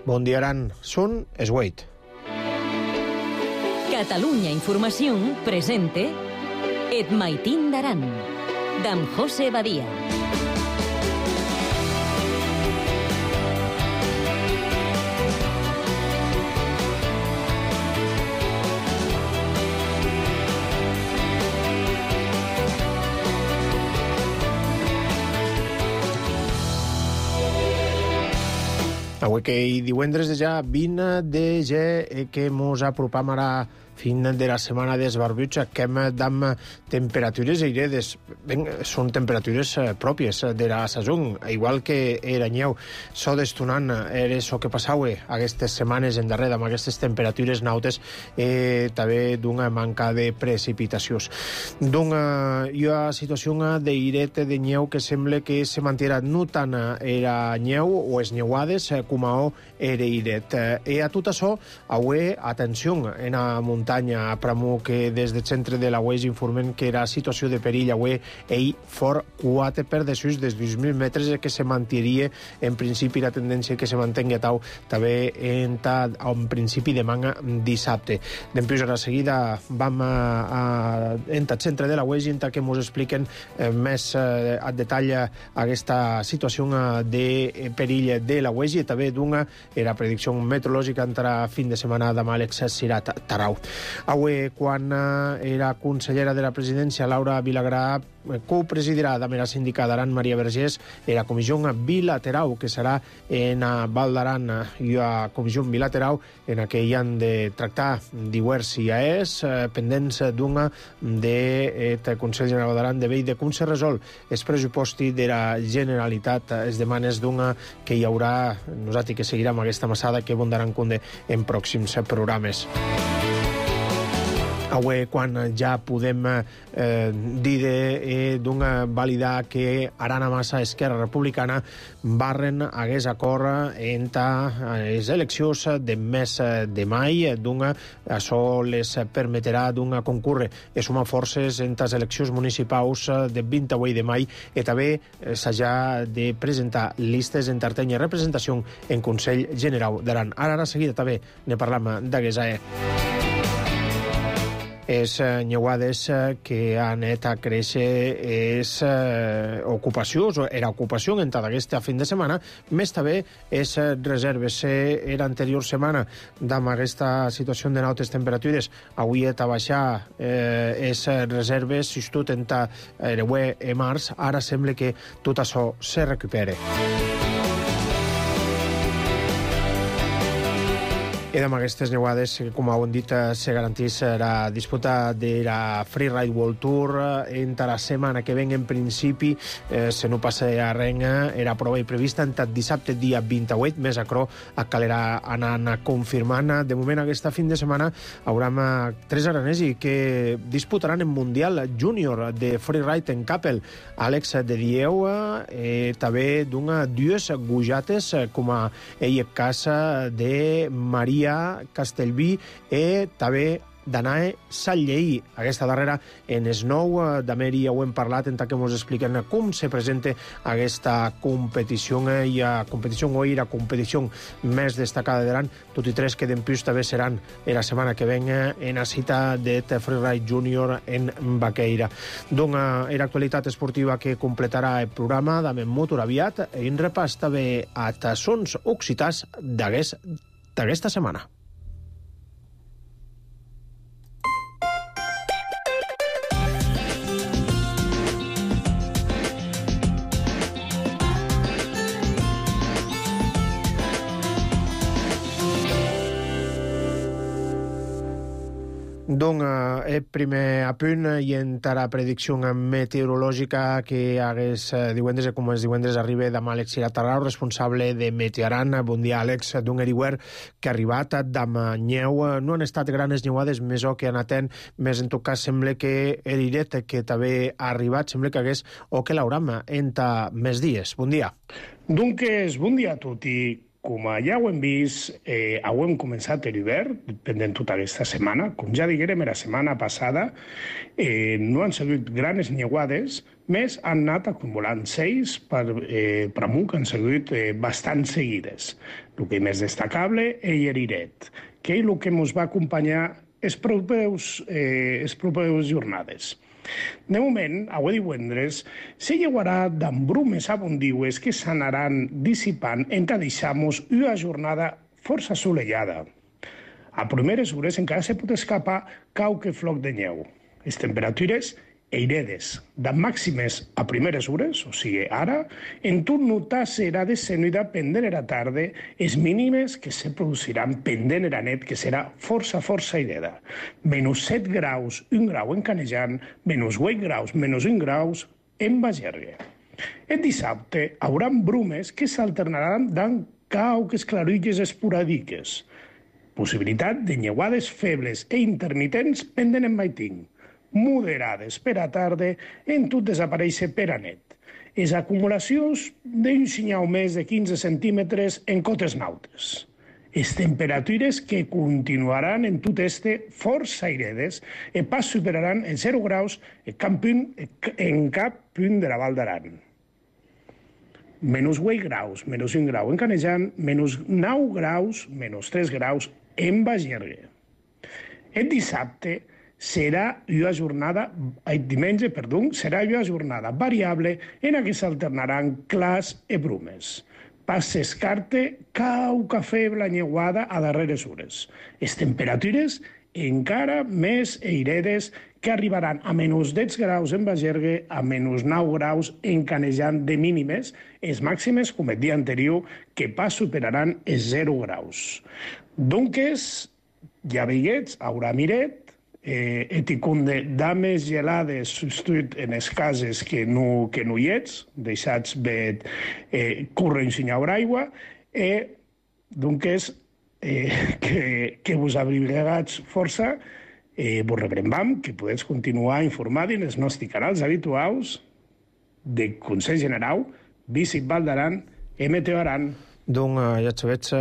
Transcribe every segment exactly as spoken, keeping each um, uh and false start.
Bon dia, Aran. Són es vuit. Catalunya Informació presente Et Maitín d'Aran, d'en José Badia. Avui que hi divendres de ja vint de gener que mos apropam ara fin de la setmana d'esbarbuig, que hem d'am temperatures airedes. Ben, són temperatures pròpies de la saison, igual que era nyeu. So d'estonant era so que passau aquestes setmanes en darrere amb aquestes temperatures nautes, eh, també d'una manca de precipitacions. D'una hi ha situació d'airet de nyeu que sembla que se mantirà no tant era nyeu o es nyeuades com a era airet. E a tot això, avui, atenció, en la muntanya a Pramú, que des del centre de la U E S informen que era situació de perill avui, ell fort quatre per desús des dos mil metres, que se mantindria en principi la tendència que se mantingui tau també en, ta, en principi de manga dissabte. Dempuix, a la seguida vam a, a, en el centre de la U E S i que ens expliquen eh, més eh, a detall aquesta situació de perill de la U E S i també d'una era predicció meteorològica entre fin de setmana de Àlex Sirat Tarau. Avui, quan era consellera de la presidència, Laura Vilagrà copresidirà de la síndica d'Aran, Maria Vergés, la comissió bilateral que serà en Val d'Aran i la comissió bilateral en què hi han de tractar diversos I A Es pendents d'una del Consell General d'Aran de veure com se resol el pressuposti de la Generalitat, es demanes d'una que hi haurà, nosaltres que seguirem aquesta massada que bondaran conde en pròxims programes. Avui, quan ja podem eh, dir eh, d'una validar que Arana Massa Esquerra Republicana barren hagués acord entre les eleccions de mes de mai, d'una això les permetrà d'una concurre i sumar forces entre les eleccions municipals de vint-i-vuit de mai i també s'ha de presentar listes d'enterteny i representació en Consell General d'Aran. Ara, ara seguida també ne parlam d'hagués eh. És nyeuades que han anat a créixer és eh, ocupació, era ocupació en tota aquesta fin de setmana, més també és reserves. Era anterior setmana amb aquesta situació de nautes temperatures, avui ha de baixar eh, és reserves, si tot en ta ereuer e març, ara sembla que tot això se recupere. I amb aquestes neuades, com heu dit, se garantís la disputa de la Freeride World Tour entre la setmana que ven en principi, eh, se no passa a renga, era prova prevista entre dissabte dia vint-i-vuit, més acro calerà anant confirmant. De moment, aquesta fin de setmana haurem tres aranesi que disputaran en Mundial Júnior de Freeride en Capel. Àlex de Dieu, eh, també d'una dues gujates, com a ell casa de Maria Castellví i també d'Anae Sallleí. Aquesta darrera en Snow d'Ameri ja ho hem parlat, en tant que ens expliquen com se presenta aquesta competició i a competició o la competició més destacada d'Aran, tot i tres que d'empús també seran la setmana que ven en la cita de Freeride Júnior en Baqueira. D'una era actualitat esportiva que completarà el programa d'Amen Motor aviat i en repàs també a tassons occitans d'aquesta setmana. Donc, el primer apunt i entre la predicció meteorològica que hagués divendres, com els divendres arriba de Àlex Sirat Tarau, responsable de Meteoaran. Bon dia, Àlex, d'un eriwer que ha arribat d'am nyeu. No han estat grans nyeuades, més o que han atent, més en tot cas sembla que l'Iret que també ha arribat, sembla que hagués o que l'hauram entre més dies. Bon dia. Doncs, bon dia a tutti. Com ja ho hem vist, eh, ho hem començat l'hivern, pendent tota aquesta setmana. Com ja diguérem, la setmana passada eh, no han sigut grans nyeuades, més han anat acumulant seis per, eh, per amunt, que han sigut eh, bastant seguides. El que més destacable és Lleriret, que és el que ens va acompanyar les properes, eh, les properes jornades. De moment, avui divendres, se llevarà d'embrumes abundiues que s'anaran dissipant en què deixamos una jornada força assolellada. A primeres hores encara se pot escapar qualque floc de neu. Les temperatures eiredes, de màximes a primeres hores, o sigui, ara, en tot notar serà descenida pendent era tarda, les mínimes que se produciran pendent era net, que serà força, força aireda. Menys set graus, un grau en Canejan, menys vuit graus, menys un graus en Bagergue. El dissabte haurà brumes que s'alternaran d'en cauques claruilles esporàdiques. Possibilitat de nyeuades febles e intermitents pendent en maiting. Moderades per a tarda, en tot desaparèixer per a net. Les acumulacions d'un senyal més de quinze centímetres en cotes nautes. Les temperatures que continuaran en tot este força airedes i pas superaran els zero graus en cap punt, en cap punt de la Val d'Aran. Menys vuit graus, menys un grau en Canejan, menys nou graus, menys tres graus en Bagergue. El dissabte serà una jornada, el diumenge, perdó, serà una jornada variable en què s'alternaran clars i brumes. Pas s'escarte cauca feble anyeuada a darreres hores. Les temperatures encara més eiredes que arribaran a menys deu graus en Bagergue, a menys nou graus en Canejan de mínimes, les màximes, com el dia anterior, que pas superaran els zero graus. Doncs, ja veiguets, haurà miret, eh, eticunde dames gelades substituït en les cases que no, que no hi ets, deixats bé eh, córrer en senyaur aigua, i eh, doncs eh, que, que vos abrigats força, eh, vos rebrembam que podeu continuar informant en els nostres canals habituals de Consell General, Visit Val d'Aran i Meteo Aran. Donc, eh, ja sabets, eh,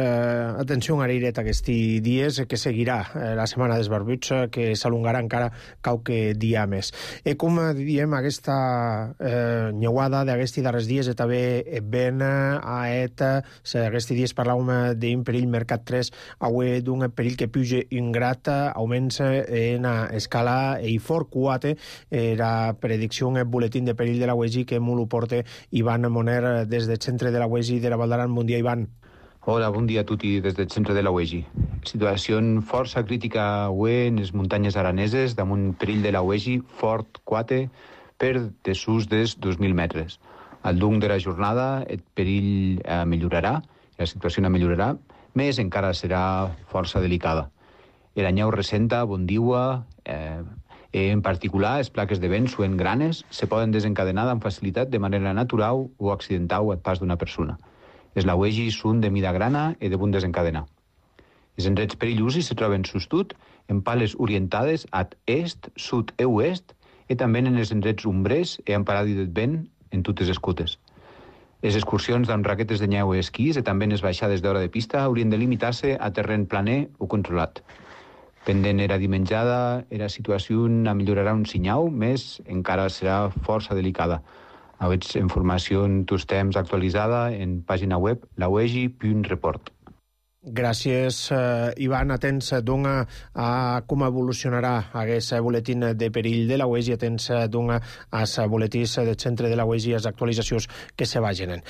atenció a l'airet aquests dies, que seguirà eh, la setmana d'esbarbuts, eh, que s'alongarà encara qualque dia més. I com diem, aquesta eh, nyeuada d'aquests darrers dies és també ben a et, aquests dies parlàvem d'un perill mercat tres, avui d'un perill que puja un grat, augments en escala i fort quatre, la predicció en el boletín de perill de la U E G que molt ho porta Ivan Moner des del centre de la U E G de la Val d'Aran. Bon dia, Ivan. Hola, bon dia a tutti des del centre de la U E G. Situació força crítica avui en les muntanyes araneses damunt perill de la U E G fort quatre per dessús dels dos mil metres. Al llarg de la jornada el perill eh, millorarà, la situació millorarà, més encara serà força delicada. La neu recenta, bon dia, eh, en particular, les plaques de vent suen granes se poden desencadenar amb facilitat de manera natural o accidental al pas d'una persona. Les lauegis són de mida grana i de bon desencadenar. Els enreds perillosos se troben sostut en pales orientades a est, sud i oest i també en els enreds umbrers i en paradi del vent en totes les cutes. Les excursions amb raquetes de neu i esquís i també en les baixades d'hora de pista haurien de limitar-se a terreny planer o controlat. Pendent era dimenjada, la situació millorarà un senyal, més encara serà força delicada. Aveți informació en tots temps actualitzada en pàgina web lauegi punt report. Gràcies, eh, Ivan. Atents, doncs, a com evolucionarà aquest boletín de perill de la U E G, atents, doncs, als boletins del centre de la U E G, les actualitzacions que se vagin.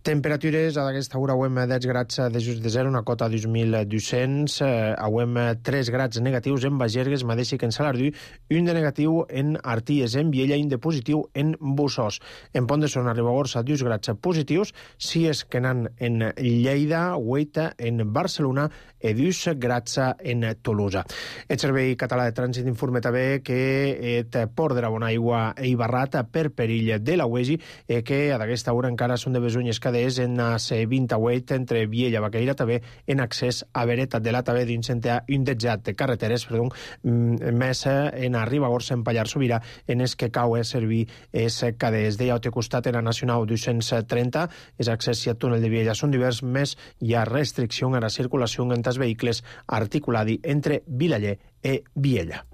Temperatures a aquesta hora auem deu grads de just de zero, una cota dos mil dos-cents, eh, auem tres grads negatius en Bagergues, mateix que en Salardú, un de negatiu en Arties, en Viella, i un de positiu en Bussos. En Pont de Son, a Ribagorça, dos grads positius, sis que anan en Lleida, vuit en Barcelona i dos grads en Tolosa. El Servei Català de Trànsit informa també que el port de la Bonaigua i Barrat per perill de la U E G, eh, que a aquesta hora encara són de besunyes que en la C vint-i-vuit entre Viella i Baqueira, també en accés a Bereta de la també d'un centre indexat de carreteres, perdó, més en a Ribagorça, en Pallars Sobirà, en es que cau a servir es cadès. Deia al costat en la Nacional dos-cents trenta, és accés al túnel de Viella són divers, més hi ha restricció a la circulació entre els vehicles articuladi entre Vilaller i Viella.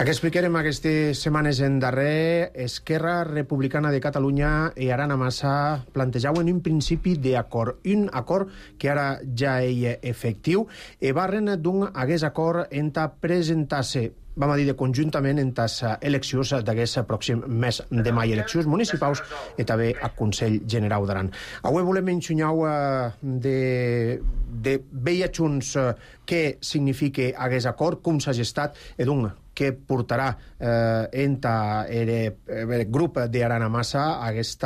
Aquí explicarem aquestes setmanes en darrer Esquerra Republicana de Catalunya i Arana Massa plantejaven un principi d'acord, un acord que ara ja és efectiu i barren d'un hagués acord enta presentar-se vam a dir de conjuntament en les eleccions d'aquest pròxim mes de maig, eleccions municipals i també a Consell General d'Aran. Avui volem ensenyar de, de veia junts què significa aquest acord, com s'ha gestat i doncs que portarà eh, entre el grup d'Arana Massa a aquest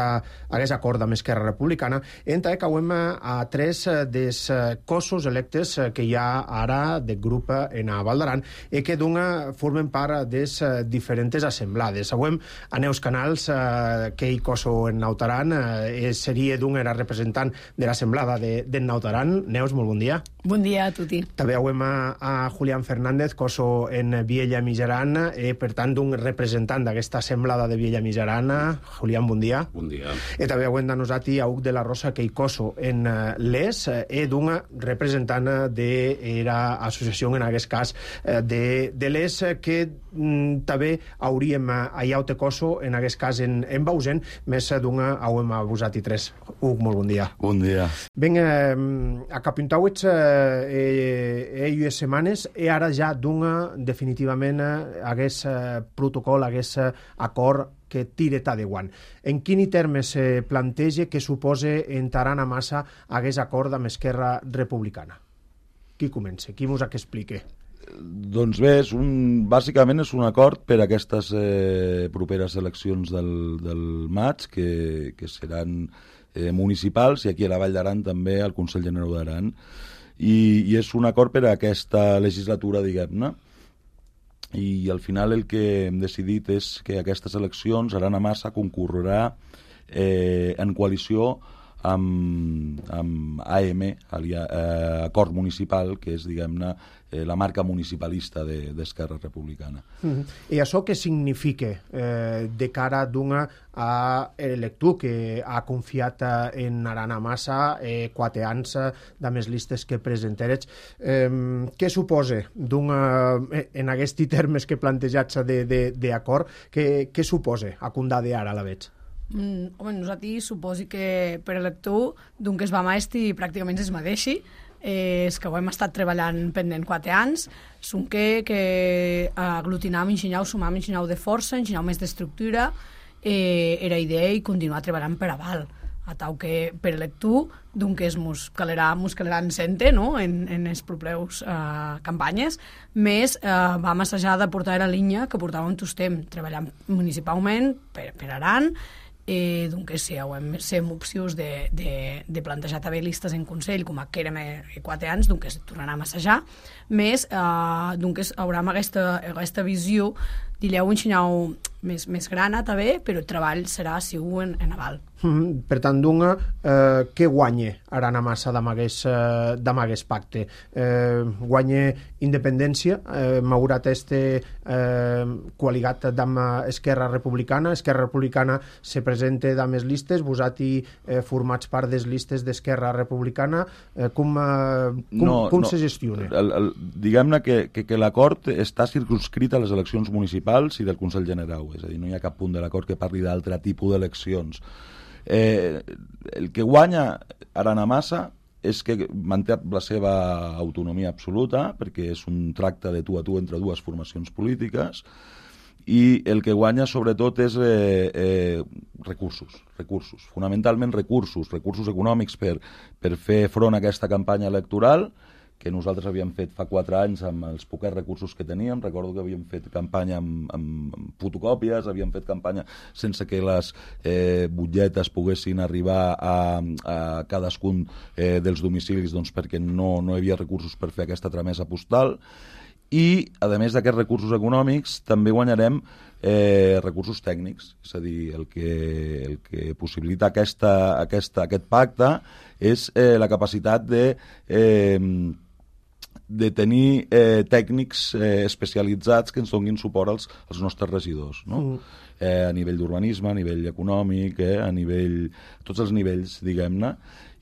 acord amb Esquerra Republicana, entre que acabem a tres dels cossos electes que hi ha ara del grup en a Val d'Aran i que doncs formen part de les diferents assemblades. Avui a Neus Canals, eh, que hi coso en Nautaran, eh, seria doncs era representant de l'assemblada de, de Nautaran. Neus, molt bon dia. Bon dia a tutti. També avui a, a Julián Fernández, coso en Viella Mijaran, i per tant d'un representant d'aquesta assemblada de Viella Mijaran. Julián, bon dia. Bon dia. I també avui de nosaltres a Huc de la Rosa, que hi coso en l'Es, i d'un representant de l'associació, en aquest cas, de, de l'Es, que mm, també hauríem allà o te coso, en aquest cas en, en Bausen, més d'un hauem a vosaltres tres. Huc, molt bon dia. Bon dia. Ben, eh, a Capintauets eh, eh, setmanes i ara ja d'un definitivament hagués eh, protocol, hagués eh, acord que tire ta de guant. En quin termes se eh, planteja que suposa en Arana Massa hagués acord amb Esquerra Republicana? Qui comença? Qui mos ha que explique? Doncs bé, és un, bàsicament és un acord per a aquestes eh, properes eleccions del, del maig, que, que seran eh, municipals, i aquí a la Vall d'Aran també al Consell General d'Aran. I, i és un acord per a aquesta legislatura, diguem-ne, i al final el que hem decidit és que aquestes eleccions Arana Massa concorrerà eh, en coalició amb, amb A M, alia, eh, Acord Municipal, que és, diguem-ne, eh, la marca municipalista d'Esquerra de, Republicana. Mm-hmm. I això què significa eh, de cara d'una a l'elector que ha confiat en Arana Massa eh, quatre anys de més listes que presentarets? Eh, què suposa d'una, en aquests termes que plantejats d'acord, què, què suposa a condar d'ara a la veig? Mm, home, nosaltres suposi que per elector d'un que es va maestri pràcticament es mateixi, eh, és que ho hem estat treballant pendent quatre anys, són que, que aglutinam, enginyau, sumam, enginyau de força, enginyau més d'estructura, eh, era idea i continuar treballant per aval, a tau que per elector d'un que es mos calerà, mos calerà en sente, no?, en, en les properes eh, campanyes, més eh, vam assajar de portar la línia que portàvem tot temps, treballant municipalment per, per Aran, eh, doncs sí, hem sem opcions de, de, de plantejar també listes en Consell, com que érem quatre anys, doncs tornarem a assajar, més eh, doncs haurem aquesta, aquesta visió d'illeu enxinyau més, més grana també, però el treball serà sigur en, en aval. Mm, per tant, d'una, eh, què guanya Arana Massa d'amagués eh, pacte? Eh, guanya independència, eh, m'haurat este eh, coaligat amb Esquerra Republicana, Esquerra Republicana se presenta amb les listes, vosaltres eh, formats part de les listes d'Esquerra Republicana, eh, com, eh, com, no, com no. se gestiona? El, el, diguem-ne que, que, que l'acord està circunscrit a les eleccions municipals i del Consell General, és a dir, no hi ha cap punt de l'acord que parli d'altre tipus d'eleccions. Eh, el que guanya Arana Massa és que manté la seva autonomia absoluta, perquè és un tracte de tu a tu entre dues formacions polítiques, i el que guanya sobretot és eh, eh, recursos, recursos, fonamentalment recursos, recursos econòmics per, per fer front a aquesta campanya electoral, que nosaltres havíem fet fa quatre anys amb els poquets recursos que teníem. Recordo que havíem fet campanya amb, amb, amb fotocòpies, havíem fet campanya sense que les eh, butlletes poguessin arribar a, a cadascun eh, dels domicilis, doncs, perquè no, no hi havia recursos per fer aquesta tramesa postal. I, a més d'aquests recursos econòmics, també guanyarem eh, recursos tècnics. És a dir, el que, el que possibilita aquesta, aquesta, aquest pacte és eh, la capacitat de... Eh, de tenir eh, tècnics eh, especialitzats que ens donin suport als, als nostres regidors, no? Mm. Eh, a nivell d'urbanisme, a nivell econòmic, eh, a nivell... tots els nivells, diguem-ne.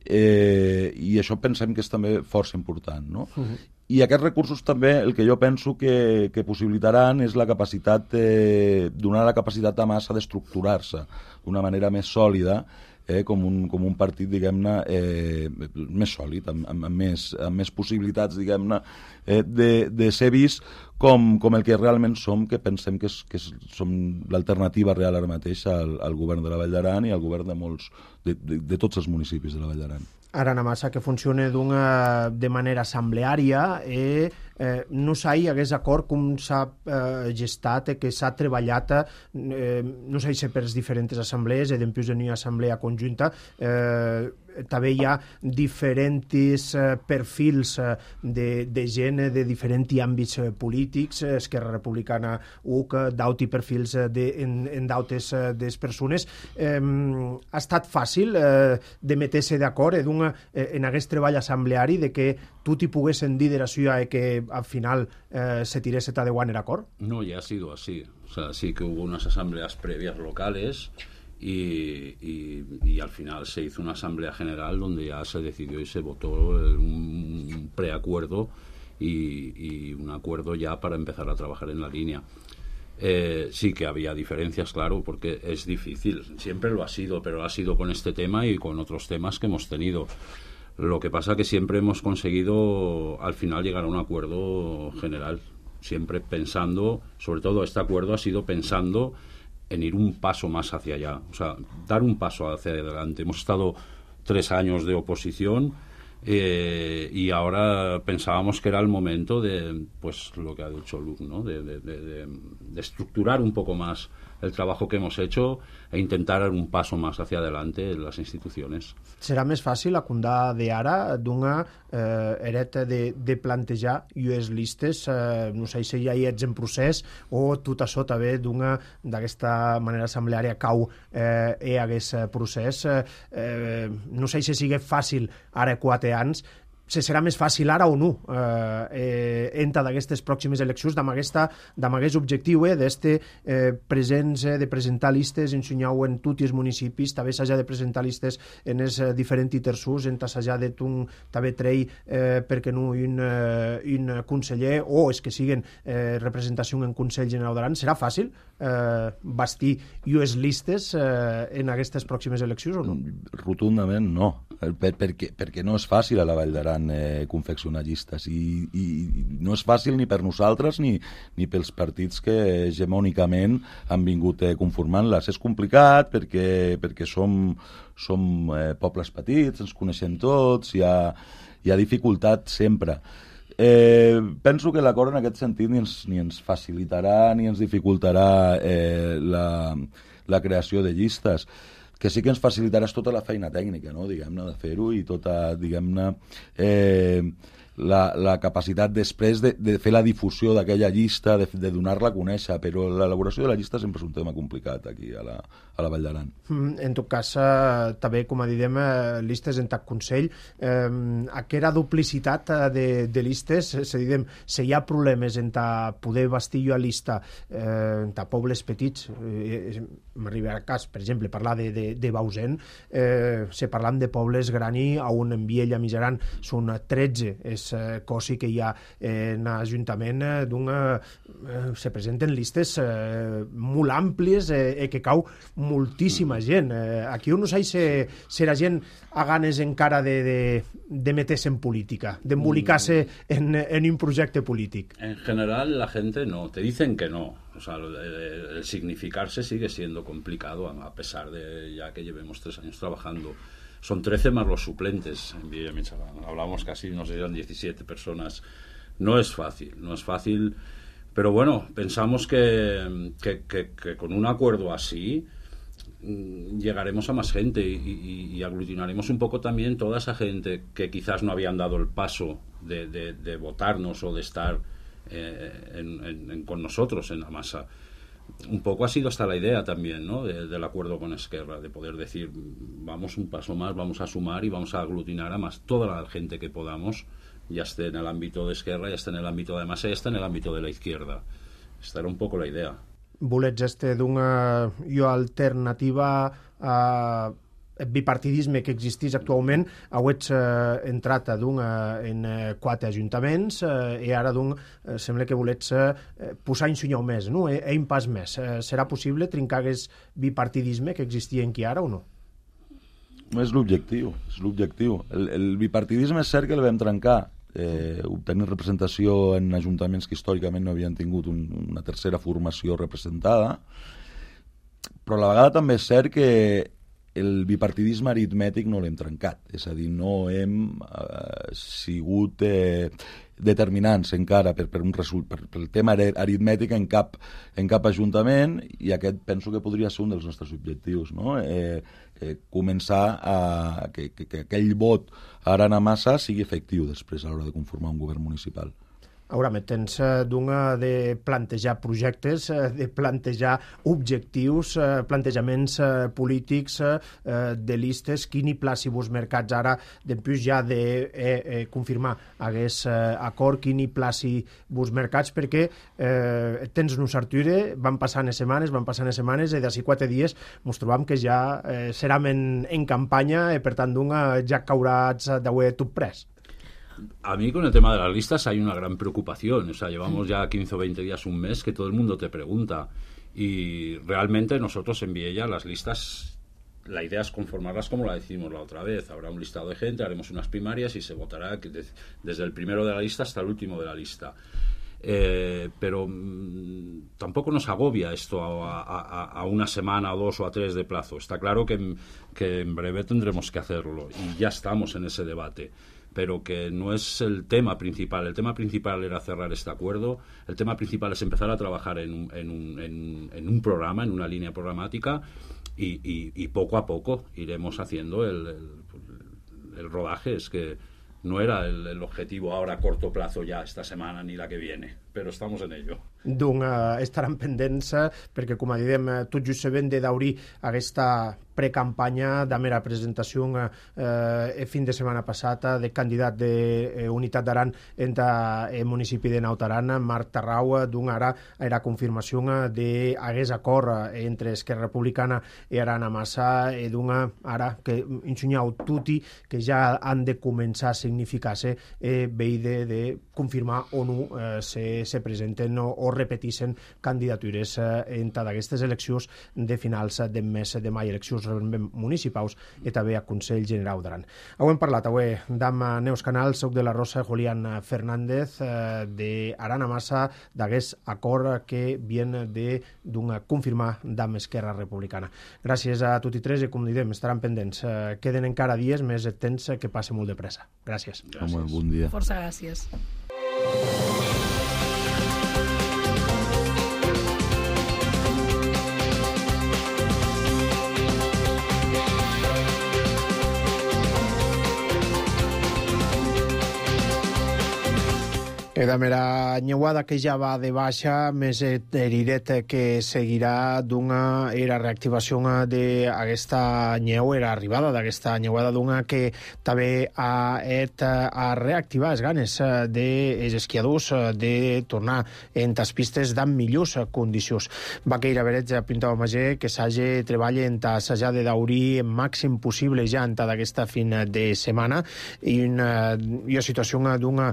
eh, i això pensem que és també força important, no? Uh-huh. I aquests recursos també el que jo penso que, que possibilitaran és la capacitat, eh, donar la capacitat a massa d'estructurar-se d'una manera més sòlida, eh, com, un, com un partit, diguem-ne, eh, més sòlid, amb, amb, amb, més, amb més possibilitats, diguem-ne, eh, de, de ser vist com, com el que realment som, que pensem que, és, que és, som l'alternativa real ara mateix al, al govern de la Vall d'Aran i al govern de molts, de, de, de tots els municipis de la Vall d'Aran. Ara na massa que funcione d'una de manera assembleària e eh, no s'hi hagués acord com s'ha eh, gestat e que s'ha treballat eh, no s'hi per les diferents assemblees e dempués de una assemblea conjunta eh, també hi ha diferents eh, perfils eh, de, de gent de diferents àmbits eh, polítics, eh, Esquerra Republicana U C, d'auti perfils eh, de, en, en d'autes eh, des persones. Eh, ha estat fàcil eh, de meter-se d'acord eh, eh, en aquest treball assembleari de que tu t'hi poguessin dir de la ciutat i que al final eh, se tirés de guant acord? No, ya ha sido así. O sea, sí que hubo unas asambleas previas locales y, y, y al final se hizo una asamblea general donde ya se decidió y se votó un, un preacuerdo y, y un acuerdo ya para empezar a trabajar en la línea. Eh, sí que había diferencias, claro, porque es difícil, siempre lo ha sido, pero lo ha sido con este tema y con otros temas que hemos tenido. Lo que pasa que siempre hemos conseguido al final llegar a un acuerdo general, siempre pensando, sobre todo este acuerdo ha sido pensando en ir un paso más hacia allá, o sea, dar un paso hacia adelante. Hemos estado tres años de oposición eh, y ahora pensábamos que era el momento de, pues lo que ha dicho Luc, ¿no? de, de, de, de estructurar un poco más el trabajo que hemos hecho e intentar dar un paso más hacia adelante en las instituciones. Serà més fàcil acundar d'ara d'una eh, hereta de, de plantejar llues listes, eh, no sé si ja hi ets en procés o tot això també d'una d'aquesta manera assembleària cau eh, hi hagués procés. Eh, no sé si sigui fàcil ara quatre anys, se serà més fàcil ara o no eh, eh, entra d'aquestes pròximes eleccions amb aquest objectiu eh, d'este eh, presents eh, de presentar listes, ensenyar-ho en tots els municipis, també s'ha de presentar listes en els eh, diferents terços, en s'ha de un també trei eh, perquè no un, eh, un conseller o és que siguen eh, representació en Consell General d'Aran. Serà fàcil eh, bastir llues listes eh, en aquestes pròximes eleccions o no? Rotundament no, per, perquè, perquè no és fàcil a la Vall d'Aran Eh, confeccionar llistes i, i no és fàcil ni per nosaltres ni, ni pels partits que hegemònicament han vingut eh, conformant-les. És complicat perquè, perquè som, som eh, pobles petits, ens coneixem tots, hi ha, hi ha dificultat sempre. Eh, penso que l'acord en aquest sentit ni ens, ni ens facilitarà ni ens dificultarà eh, la, la creació de llistes. Que sí que ens facilitarà tota la feina tècnica, no? Diguem-ne, de fer-ho i tota, diguem-ne, eh, la, la capacitat després de, de fer la difusió d'aquella llista, de, de donar-la a conèixer, però l'elaboració de la llista sempre és un tema complicat aquí a la, a la Vall d'Aran. Mm, en tot cas, eh, també, com a diem, eh, listes en tac Consell, eh, aquesta duplicitat de, de listes, se diguem, si hi ha problemes en ta poder bastir a lista eh, en ta pobles petits, eh, m'arriba a cas, per exemple, parlar de, de, de Bausen, eh, si parlam de pobles grani, on en Viella Mijaran són tretze, és cosa que hi ha en l'Ajuntament d'una... Eh, se presenten listes eh, molt àmplies eh, i que cau moltíssima gent. Eh, aquí no sé si, si la gent ha ganes encara de, de, de meterse en política, d'embolicar-se en, en un projecte polític. En general la gente no, te dicen que no. O sea, el, el significarse sigue siendo complicado a pesar de ya que llevemos tres años trabajando. Son trece más los suplentes en Villa Michoacán. Hablamos casi, no sé, eran diecisiete personas. No es fácil, no es fácil. Pero bueno, pensamos que, que, que, que con un acuerdo así llegaremos a más gente y, y, y aglutinaremos un poco también toda esa gente que quizás no habían dado el paso de, de, de votarnos o de estar eh, en, en, en, con nosotros en la masa. Un poco ha sido hasta la idea también, ¿no? de, del acuerdo con Esquerra, de poder decir vamos un paso más, vamos a sumar y vamos a aglutinar a más toda la gente que podamos, ya esté en el ámbito de Esquerra, ya esté en el ámbito de masa, ya esté en el ámbito de la izquierda. Esta era un poco la idea. Volets este d'una jo alternativa a bipartidisme que existís actualment, auets eh, entrat d'un, eh, en eh, quatre ajuntaments eh, i ara d'un eh, sembla que volets eh, posar en sunyau més, no? E, e un pas més. Eh, serà possible trencar aquest bipartidisme que existia en qui ara o no? És l'objectiu, és l'objectiu. El, el bipartidisme és cert que el vam trencar, eh, obtenir representació en ajuntaments que històricament no havien tingut un, una tercera formació representada, però a la vegada també és cert que el bipartidisme aritmètic no l'hem trencat, és a dir, no hem eh, sigut eh, determinants encara per, per un result, per, per el tema aritmètic en cap, en cap ajuntament, i aquest penso que podria ser un dels nostres objectius, no? Eh, eh, començar a que, que, que aquell vot a Arana-Massa sigui efectiu després a l'hora de conformar un govern municipal. Ara, tens d'una de plantejar projectes, de plantejar objectius, plantejaments polítics, de listes, quin hi placi vos mercats ara, després ja de eh, eh, confirmar aquest acord, quin hi placi vos mercats, perquè eh, tens un sarture, van passant les setmanes, van passant les setmanes, i d'ací quatre dies ens trobam que ja eh, serem en, en campanya, i per tant d'una ja cauràs d'haver tot pres. A mí con el tema de las listas hay una gran preocupación, o sea, llevamos ya quince o veinte días, un mes, que todo el mundo te pregunta, y realmente nosotros en Viella las listas, la idea es conformarlas como la decimos la otra vez, habrá un listado de gente, haremos unas primarias y se votará desde el primero de la lista hasta el último de la lista. Eh, pero mmm, tampoco nos agobia esto a, a, a una semana, a dos o a tres de plazo. Está claro que, que en breve tendremos que hacerlo y ya estamos en ese debate, pero que no es el tema principal. El tema principal era cerrar este acuerdo, el tema principal es empezar a trabajar en un, en un, en, en un programa, en una línea programática, y, y, y poco a poco iremos haciendo el, el, el rodaje. Es que no era el, el objetivo ahora a corto plazo ya esta semana ni la que viene, però estamos en ello. Doncs uh, estaran pendents perquè, com dèiem, tot just sabent de daurir aquesta precampanya de mera presentació uh, el fin de setmana passada de candidat de uh, Unitat d'Aran en el municipi de Naut Aran, Marc Tarrau, d'un ara era confirmació d'aguest acord entre Esquerra Republicana i Arana-Massa, i d'una ara que ensenyau tutti que ja han de començar a significar-se eh, veïde de confirmar o no eh, se, se presenten o, o repeteixen candidatures eh, en aquestes eleccions de finals de mes de maig, eleccions municipals i també a Consell General d'Aran. Ho hem parlat avui amb Neus Canal, soc de la Rosa, Julián Fernández, eh, d'Arana-Massa, d'aquest acord que viene de d'un confirmar d'Am Esquerra Republicana. Gràcies a tots i tres, i com diem, estaran pendents. Eh, queden encara dies, més temps que passa molt de pressa. Gràcies. Gràcies. Home, bon dia. Força gràcies. E de mera nyeuada que ja va de baixa, més eriret que seguirà d'una era reactivació d'aquesta nyeu, era arribada d'aquesta nyeuada d'una que també ha et a reactivar les ganes dels esquiadors de tornar en les pistes d'en millors condicions. Vaqueira Berets pintava Magé que s'hagi treballa en assajar de daurir el màxim possible ja en d'aquesta fin de setmana, i una, una situació d'una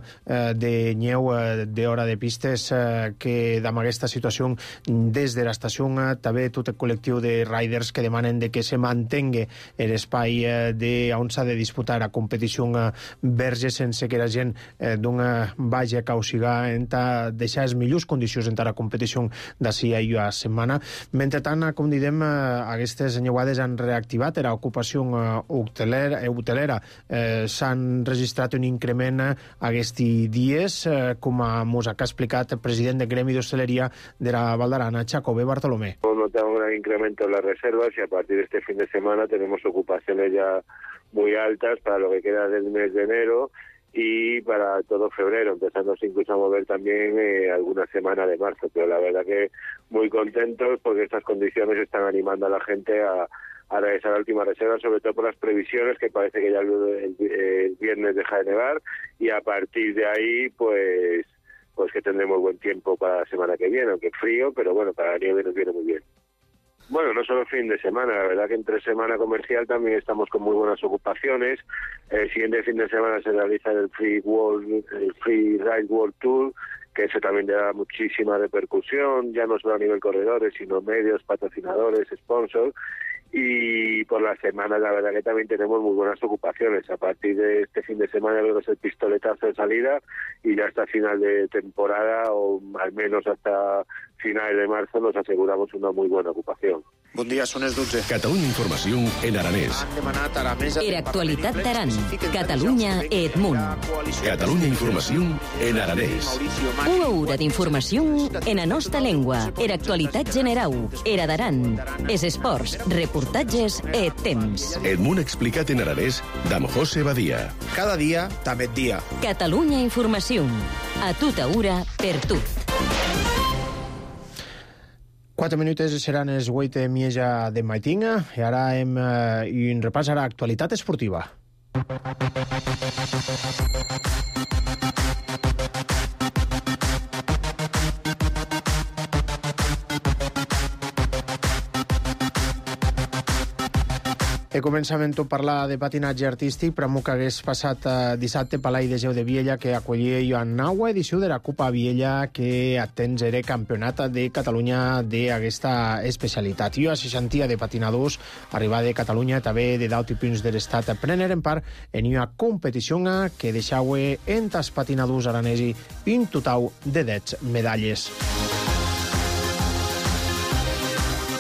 de nyeu d'hora de pistes eh, que amb aquesta situació des de l'estació eh, també tot el col·lectiu de riders que demanen de que se mantengui l'espai eh, de on s'ha de disputar la competició eh, verge sense que la gent eh, d'una vagi a causigar en ta deixar les millors condicions en la competició d'ací a una setmana. Mentre tant, com diem, eh, aquestes nyeuades han reactivat la ocupació eh, hotelera, hotelera. Eh, s'han registrat un increment eh, aquests dies eh, com mos ha explicat el president del Gremi de Hostelería de la Val d'Arana, Chacobé Bartolomé. Notamos un gran incremento en las reservas y a partir de este fin de semana tenemos ocupaciones ya muy altas para lo que queda del mes de enero y para todo febrero, empezando incluso a mover también eh, alguna semana de marzo, pero la verdad que muy contentos porque estas condiciones están animando a la gente a a realizar la última reserva, sobre todo por las previsiones, que parece que ya el, el, el viernes deja de nevar, y a partir de ahí, pues pues que tendremos buen tiempo para la semana que viene, aunque frío, pero bueno, para la nieve nos viene muy bien. Bueno, no solo fin de semana, la verdad que entre semana comercial también estamos con muy buenas ocupaciones. El siguiente fin de semana se realiza el Free World, el Free Ride World Tour, que eso también da muchísima repercusión, ya no solo a nivel corredores, sino medios, patrocinadores, sponsors. Y por la semana la verdad que también tenemos muy buenas ocupaciones. A partir de este fin de semana creo que es el pistoletazo de salida y ya hasta final de temporada o al menos hasta finales de marzo nos aseguramos una muy buena ocupación. Bon dia, són els dotze. Catalunya Informació en aranès. Han demanat a la mesa... Era actualitat d'Aran. Catalunya Edmunt. Catalunya Informació en aranès. Una hora d'informació en la nostra llengua. Era actualitat generau. Era d'Aran. És esports, reportatges e temps. Edmunt explicat en aranès d'Am José Badia. Cada dia, també dia. Catalunya Informació. A tota hora, per tu. Quatre minutes seran els vuit de mieja de Maitinga i ara hem eh, un repàs a l'actualitat esportiva. E començament tot parlar de patinatge artístic, però que hagués passat eh, dissabte Palai de Geu de Viella, que acollia Joan Naua edició de la Copa Viella, que atens era campionat de Catalunya d'aquesta especialitat. Jo a seixantia de patinadors arribar de Catalunya, també de dalt i punts de l'estat, preneren part en una competició que deixau entre els patinadors aranesi un total de deu medalles.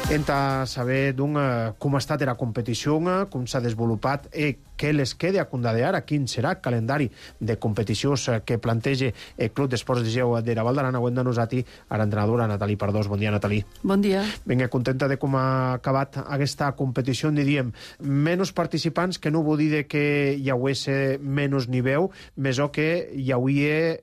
Entra a saber d'un, uh, com ha estat la competició, uh, com s'ha desenvolupat i què les queda a condadear, a quin serà el calendari de competicions uh, que planteja el Club d'Esports de Geu de la Val d'Aran. Avui de nosaltres a l'entrenadora Natalí Pardós. Bon dia, Natalí. Bon dia. Vinga, contenta de com ha acabat aquesta competició, en diríem, menys participants, que no vol dir que hi hagués menys nivell, més o que hi hauria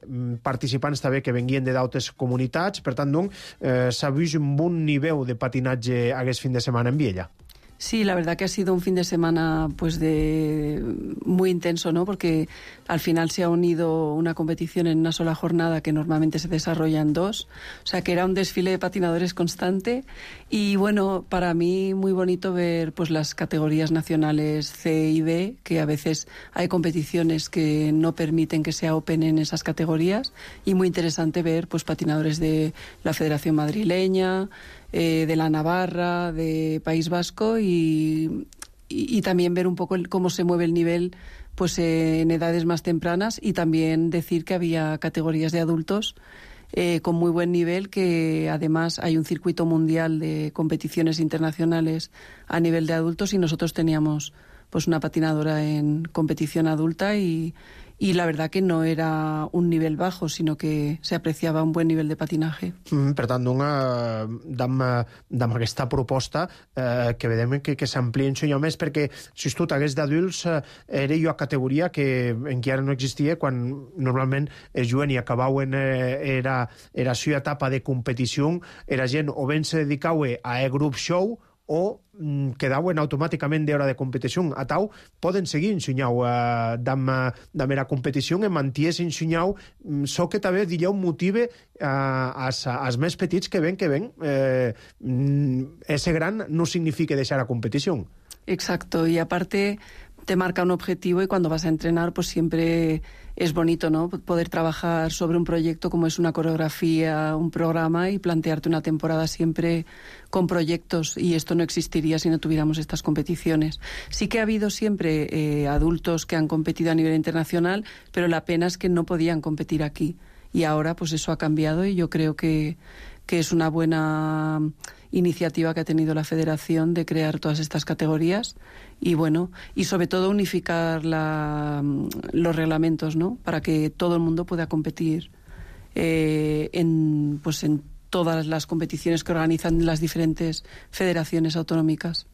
participants també que venien de d'altres comunitats, per tant, doncs, eh, s'ha vist un bon nivell de patinatge aquest fin de semana en Viella. Sí, la verdad que ha sido un fin de semana pues de muy intenso, ¿no? Porque al final se ha unido una competición en una sola jornada que normalmente se desarrolla en dos, o sea que era un desfile de patinadores constante y bueno, para mí muy bonito ver pues las categorías nacionales C y B, que a veces hay competiciones que no permiten que sea open en esas categorías y muy interesante ver pues patinadores de la Federación Madrileña, Eh, de la Navarra, de País Vasco y, y, y también ver un poco el, cómo se mueve el nivel pues eh, en edades más tempranas y también decir que había categorías de adultos eh, con muy buen nivel, que además hay un circuito mundial de competiciones internacionales a nivel de adultos y nosotros teníamos pues una patinadora en competición adulta y y la verdad que no era un nivel bajo, sino que se apreciaba un buen nivel de patinaje. Mm, per tant, una, d'am, d'am aquesta proposta eh, que vedem que, que s'amplia un senyor més, perquè si tu t'hagués d'adults eh, era jo a categoria que encara no existia, quan normalment es juguen i acabaven eh, era, era la etapa de competició, era gent o ben se dedicava a e-group show o mm, quedaven automàticament d'hora de competició. A tau poden seguir ensenyau eh, d'am la competició i manties ensenyau, so que també dillau motive eh, als, als més petits que ven, que ven eh, ese gran no significa deixar la competició. Exacto, y aparte te marca un objetivo y cuando vas a entrenar pues siempre es bonito, ¿no? Poder trabajar sobre un proyecto como es una coreografía, un programa y plantearte una temporada siempre con proyectos, y esto no existiría si no tuviéramos estas competiciones. Sí que ha habido siempre eh, adultos que han competido a nivel internacional, pero la pena es que no podían competir aquí y ahora pues eso ha cambiado y yo creo que, que es una buena iniciativa que ha tenido la Federación de crear todas estas categorías y bueno, y sobre todo unificar la, los reglamentos, ¿no? Para que todo el mundo pueda competir eh, en, pues en todas las competiciones que organizan las diferentes federaciones autonómicas.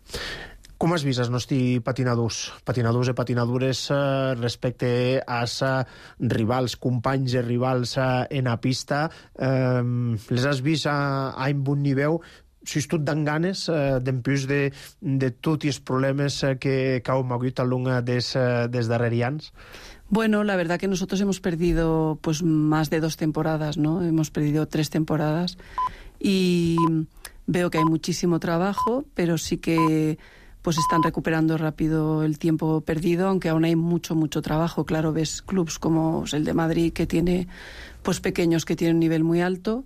Com has vist els nostres patinadors, patinadors i patinadures eh, respecte als eh, rivals, companys i rivals eh, en la pista? Eh, les has vist a, a un bon nivell? Si és tot dan ganes eh, d'empús de, de tots els problemes eh, que, que heu hagut al llarg des, eh, des darrers anys? Bueno, la verdad que nosotros hemos perdido pues más de dos temporadas, ¿no? Hemos perdido tres temporadas y veo que hay muchísimo trabajo, pero sí que pues están recuperando rápido el tiempo perdido, aunque aún hay mucho, mucho trabajo. Claro, ves clubs como el de Madrid, que tiene pues pequeños que tienen un nivel muy alto,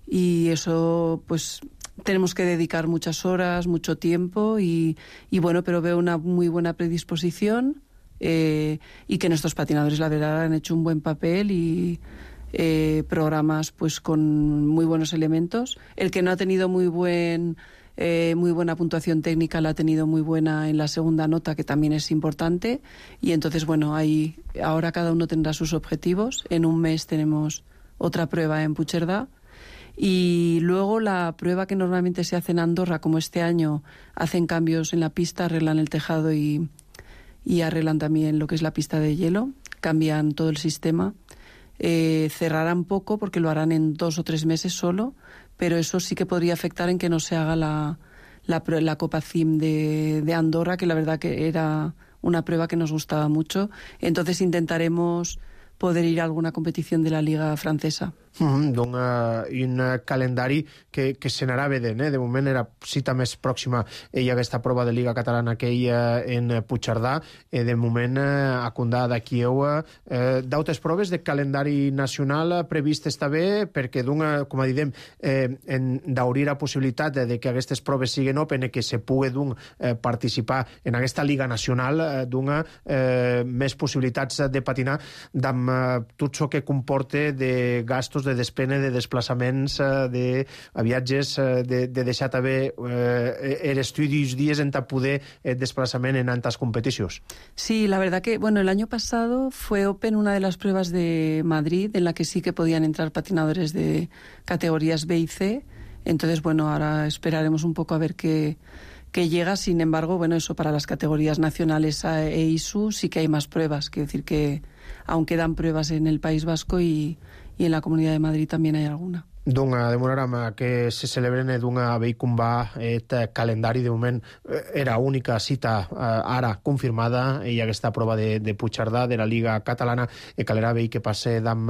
y eso pues tenemos que dedicar muchas horas, mucho tiempo, y, y bueno, pero veo una muy buena predisposición, eh, y que nuestros patinadores, la verdad, han hecho un buen papel y eh, programas pues con muy buenos elementos. El que no ha tenido muy buen eh, muy buena puntuación técnica la ha tenido muy buena en la segunda nota, que también es importante, y entonces bueno, ahí ahora cada uno tendrá sus objetivos. En un mes tenemos otra prueba en Puigcerdà. Y luego la prueba que normalmente se hace en Andorra, como este año hacen cambios en la pista, arreglan el tejado y, y arreglan también lo que es la pista de hielo, cambian todo el sistema. Eh, cerrarán poco porque lo harán en dos o tres meses solo, pero eso sí que podría afectar en que no se haga la, la, la Copa C I M de, de Andorra, que la verdad que era una prueba que nos gustaba mucho. Entonces intentaremos poder ir a alguna competición de la Liga Francesa. Mm, d'un, uh, un uh, calendari que, que se n'anava vedent, eh? De moment era cita més pròxima hi ha aquesta prova de Liga Catalana que hi ha en Puigcerdà, eh, de moment uh, a Condà de Kieu eh, d'altres proves de calendari nacional previstes també, perquè d'un, com a diguem, eh, d'obrir la possibilitat de, de que aquestes proves siguin open i que se pugui d'un eh, participar en aquesta Liga Nacional, eh, d'un eh, més possibilitats de patinar amb eh, tot això que comporta de gastos, de despene, de desplaçaments, de viatges, de, de deixar també eh, l'estudi uns dies en poder eh, desplaçament en altres competicions. Sí, la verdad que, bueno, el año pasado fue Open una de las pruebas de Madrid en la que sí que podían entrar patinadores de categorías B y C. Entonces, bueno, ahora esperaremos un poco a ver qué, qué llega. Sin embargo, bueno, eso para las categorías nacionales e I S U sí que hay más pruebas. Quiero decir que aún quedan pruebas en el País Vasco y y en la Comunidad de Madrid también hay alguna. Dunga, demorarà que se celebren d'una veicumba et calendari. De moment era única cita eh, ara confirmada i aquesta prova de, de Puigcerdà de la Liga Catalana e calerà veí que passe d'am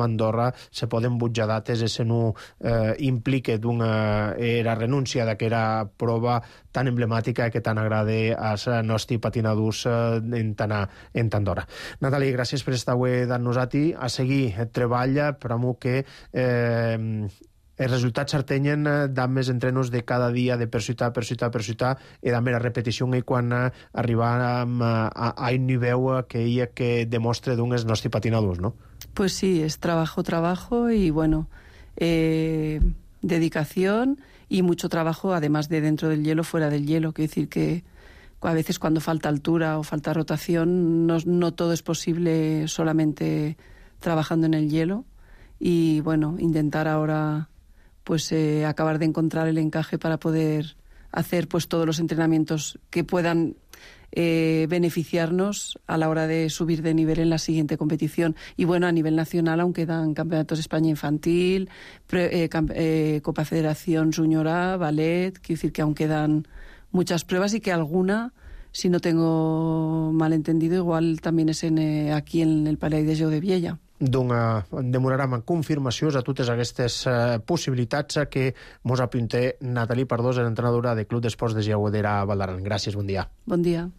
Andorra. Se poden butjar dates e se no eh, implique d'una era renúncia d'aquera prova tan emblemàtica que tan agrada als nostres patinadors en tant en Andorra. Natàlia, gràcies per estar avui amb nosaltres. A seguir treballa per a que eh, els resultats s'artenyen d'am més entrenos de cada dia, de per ciutat, per ciutat, per ciutat, i d'am la repetició i quan arribàrem a, a un nivell que hi ha que demostre d'un els nostres patinadors, ¿no? Pues sí, es trabajo, trabajo y bueno, eh, dedicación y mucho trabajo, además de dentro del hielo, fuera del hielo. Quiero decir que a veces cuando falta altura o falta rotación, no, no todo es posible solamente trabajando en el hielo. Y bueno, intentar ahora pues eh, acabar de encontrar el encaje para poder hacer pues todos los entrenamientos que puedan eh, beneficiarnos a la hora de subir de nivel en la siguiente competición. Y bueno, a nivel nacional aún quedan campeonatos de España infantil, pre, eh, camp, eh, Copa Federación Junior A, ballet. Quiero decir que aún quedan muchas pruebas y que alguna, si no tengo mal entendido, igual también es en, eh, aquí en el Palais de Jeux de Viella. Doncs demorarem en confirmacions a totes aquestes uh, possibilitats que mos apunta Natàlia Pardós, entrenadora del Club d'Esports de Lleugudera Val d'Aran. Gràcies, bon dia. Bon dia.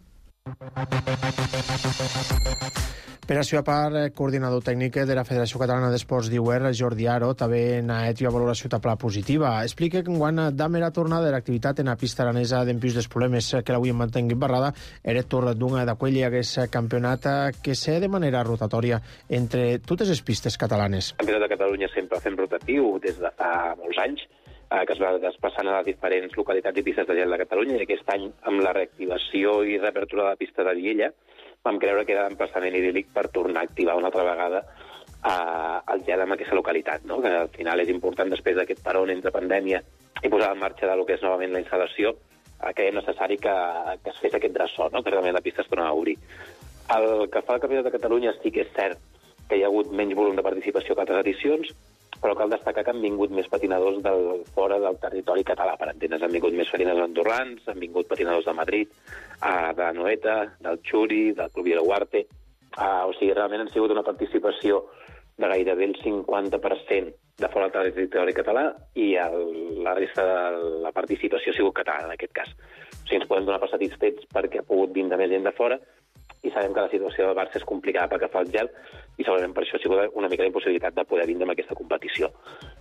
Per a seva part, coordinador tècnic de la Federació Catalana d'Esports d'I U R, Jordi Aro, també n'ha fet una valoració tapla positiva. Explica que quan d'am era tornada de l'activitat en la pista aranesa d'empius dels problemes que l'avui en mantengui barrada, era torn d'una d'aquell aquest campionat que sé de manera rotatòria entre totes les pistes catalanes. El Campionat de Catalunya sempre fem rotatiu des de fa molts anys, que es va desplaçant a les diferents localitats i pistes de gel de Catalunya, i aquest any, amb la reactivació i reapertura de la pista de Viella, vam creure que era l'emplaçament idíl·lic per tornar a activar una altra vegada eh, el gel en aquesta localitat, no? Que al final és important, després d'aquest peron entre pandèmia i posar en marxa del que és novament la instal·lació, eh, que és necessari que, que es fes aquest dressó, no? Que realment la pista es torna a obrir. El que fa el Campionat de Catalunya sí que és cert que hi ha hagut menys volum de participació que altres edicions, però cal destacar que han vingut més patinadors del, fora del territori català, per entendre's. Han vingut més patinadors andorrans, han vingut patinadors de Madrid, uh, de Noeta, del Xuri, del Club Vilaguarte. Uh, o sigui, realment han sigut una participació de gairebé el cinquanta per cent de fora del territori català i el, la resta de la participació ha sigut catalana, en aquest cas. O sigui, ens podem donar per satisfets perquè ha pogut vindre més gent de fora i sabem que la situació del Barça és complicada pel que fa al gel i segurament per això ha sigut una mica la impossibilitat de poder vindre amb aquesta competició.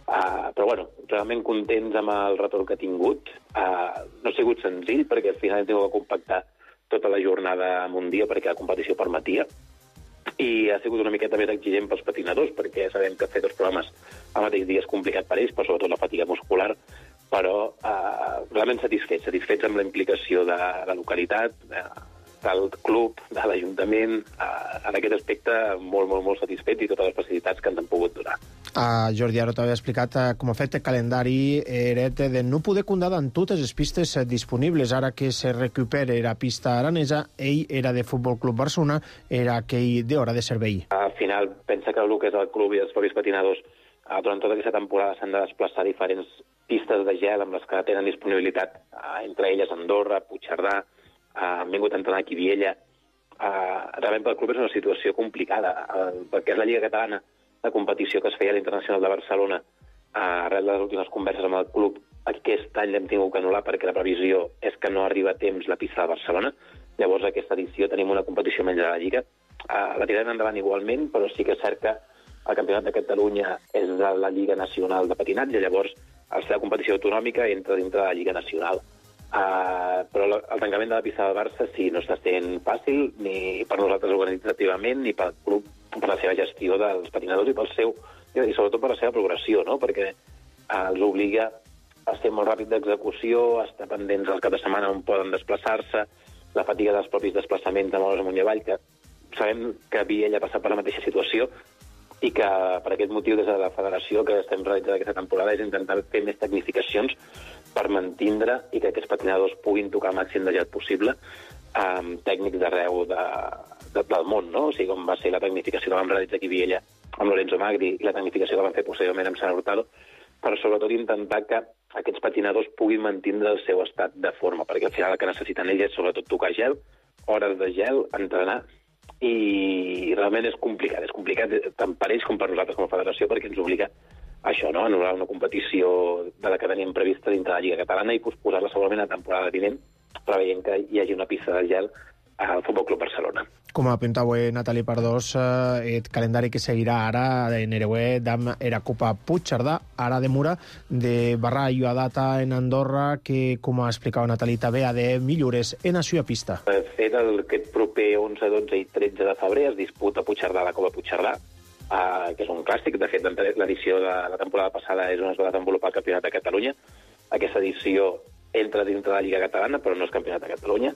Uh, però bueno, realment contents amb el retorn que ha tingut. Uh, no ha sigut senzill perquè al final hem tingut que compactar tota la jornada en un dia perquè la competició permetia i ha sigut una miqueta més exigent pels patinadors perquè sabem que fer dos programes al mateix dia és complicat per ells, però sobretot la fatiga muscular, però uh, realment satisfets, satisfets amb la implicació de la localitat, de, del club, de l'Ajuntament, uh, en aquest aspecte molt, molt, molt satisfets i totes les facilitats que ens han pogut donar. Uh, Jordi, ara t'havia explicat uh, com ha fet el calendari eret de no poder comptar amb totes les pistes uh, disponibles. Ara que se recupera la pista aranesa, ell era de Futbol Club Barcelona, era aquell d'hora de servei. Al final, pensa que el que és el club i els propis patinadors uh, durant tota aquesta temporada s'han de desplaçar a diferents pistes de gel amb les que tenen disponibilitat, uh, entre elles Andorra, Puigcerdà, uh, han vingut a entrenar aquí a Viella. Uh, realment pel club és una situació complicada, uh, perquè és la Lliga Catalana de competició que es feia a l'Internacional de Barcelona, uh, arrel de les últimes converses amb el club, aquest any l'hem tingut que anul·lar perquè la previsió és que no arriba a temps la pista de Barcelona. Llavors aquesta edició tenim una competició menys de la Lliga. Uh, la tirarem endavant igualment, però sí que és cert que el Campionat de Catalunya és de la Lliga Nacional de Patinatge, llavors al ser la competició autonòmica entra dintre de la Lliga Nacional. Uh, però la, el tancament de la pista del Barça sí, no està sent fàcil ni per nosaltres organitzativament ni pel club per la seva gestió dels patinadors i pel seu i sobretot per la seva progressió, no? Perquè uh, els obliga a ser molt ràpid d'execució, a estar pendents al cap de setmana on poden desplaçar-se, la fatiga dels propis desplaçaments de moure's amunt i avall, que sabem que Viella ha passat per la mateixa situació i que per aquest motiu des de la federació que estem realitzant aquesta temporada és intentar fer més tecnificacions per mantindre i que aquests patinadors puguin tocar el màxim de gel possible amb tècnics d'arreu de, de, del món, no? O sigui, com va ser la tecnificació que vam realitzar aquí a Viella amb Lorenzo Magri i la tecnificació que vam fer posteriorment amb Sant Hurtado, però sobretot intentar que aquests patinadors puguin mantindre el seu estat de forma, perquè al final el que necessiten ells és sobretot tocar gel, hores de gel, entrenar, i realment és complicat, és complicat tant per ells com per nosaltres com a federació perquè ens obliga a això, no? A anul·lar una competició de la que teníem prevista dintre de la Lliga Catalana i posposar-la segurament a la temporada vinent, preveient que hi hagi una pista de gel al Futbol Club Barcelona. Com apuntava Nathalie Pardós, eh, el calendari que seguirà ara en Ereué d'am era Copa Puigcerdà, ara de Mura, de Barra i a data en Andorra, que, com explicava Nathalie, també ha de millores en la seva pista. De fet, el, aquest proper onze, dotze i tretze de febrer es disputa a Puigcerdà la Copa Puigcerdà, eh, que és un clàssic. De fet, l'edició de la temporada passada és on es va desenvolupar el Campionat de Catalunya. Aquesta edició entra dintre de la Lliga Catalana, però no és Campionat de Catalunya.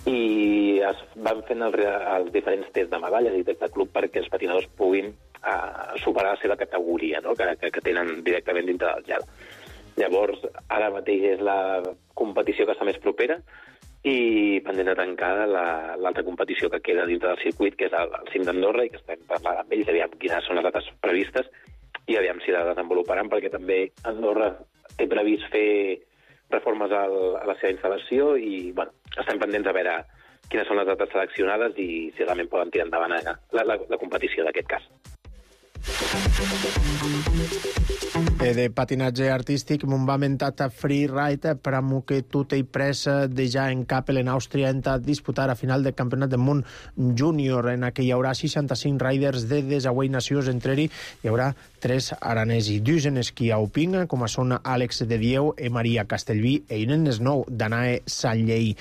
I es van fent els, els diferents tests de medalles i tests de club perquè els patinadors puguin uh, superar la seva categoria, no? que, que, que tenen directament dintre del gel. Llavors, ara mateix és la competició que està més propera i pendent de tancar l'altra la, competició que queda dintre del circuit, que és el, el cim d'Andorra, i que estem parlant amb ells, aviam quines són les dates previstes i aviam si la desenvoluparan, perquè també Andorra té previst fer reformes al, a la seva instal·lació i, bueno, estem pendents a veure quines són les dates seleccionades i si realment poden tirar endavant la, la, la competició d'aquest cas. E de patinatge artístic, m'ho va mentat a freeride per a que tot i pressa de ja en Kappel, en Àustria, entra a disputar a final del Campionat del Món Júnior, en què hi haurà seixanta-cinc riders de desauei nacions. Entre ells hi haurà tres aranesi, dos en esquí alpin, com són Àlex de Dieu i Maria Castellví, i un en esnou, Danae Sallei.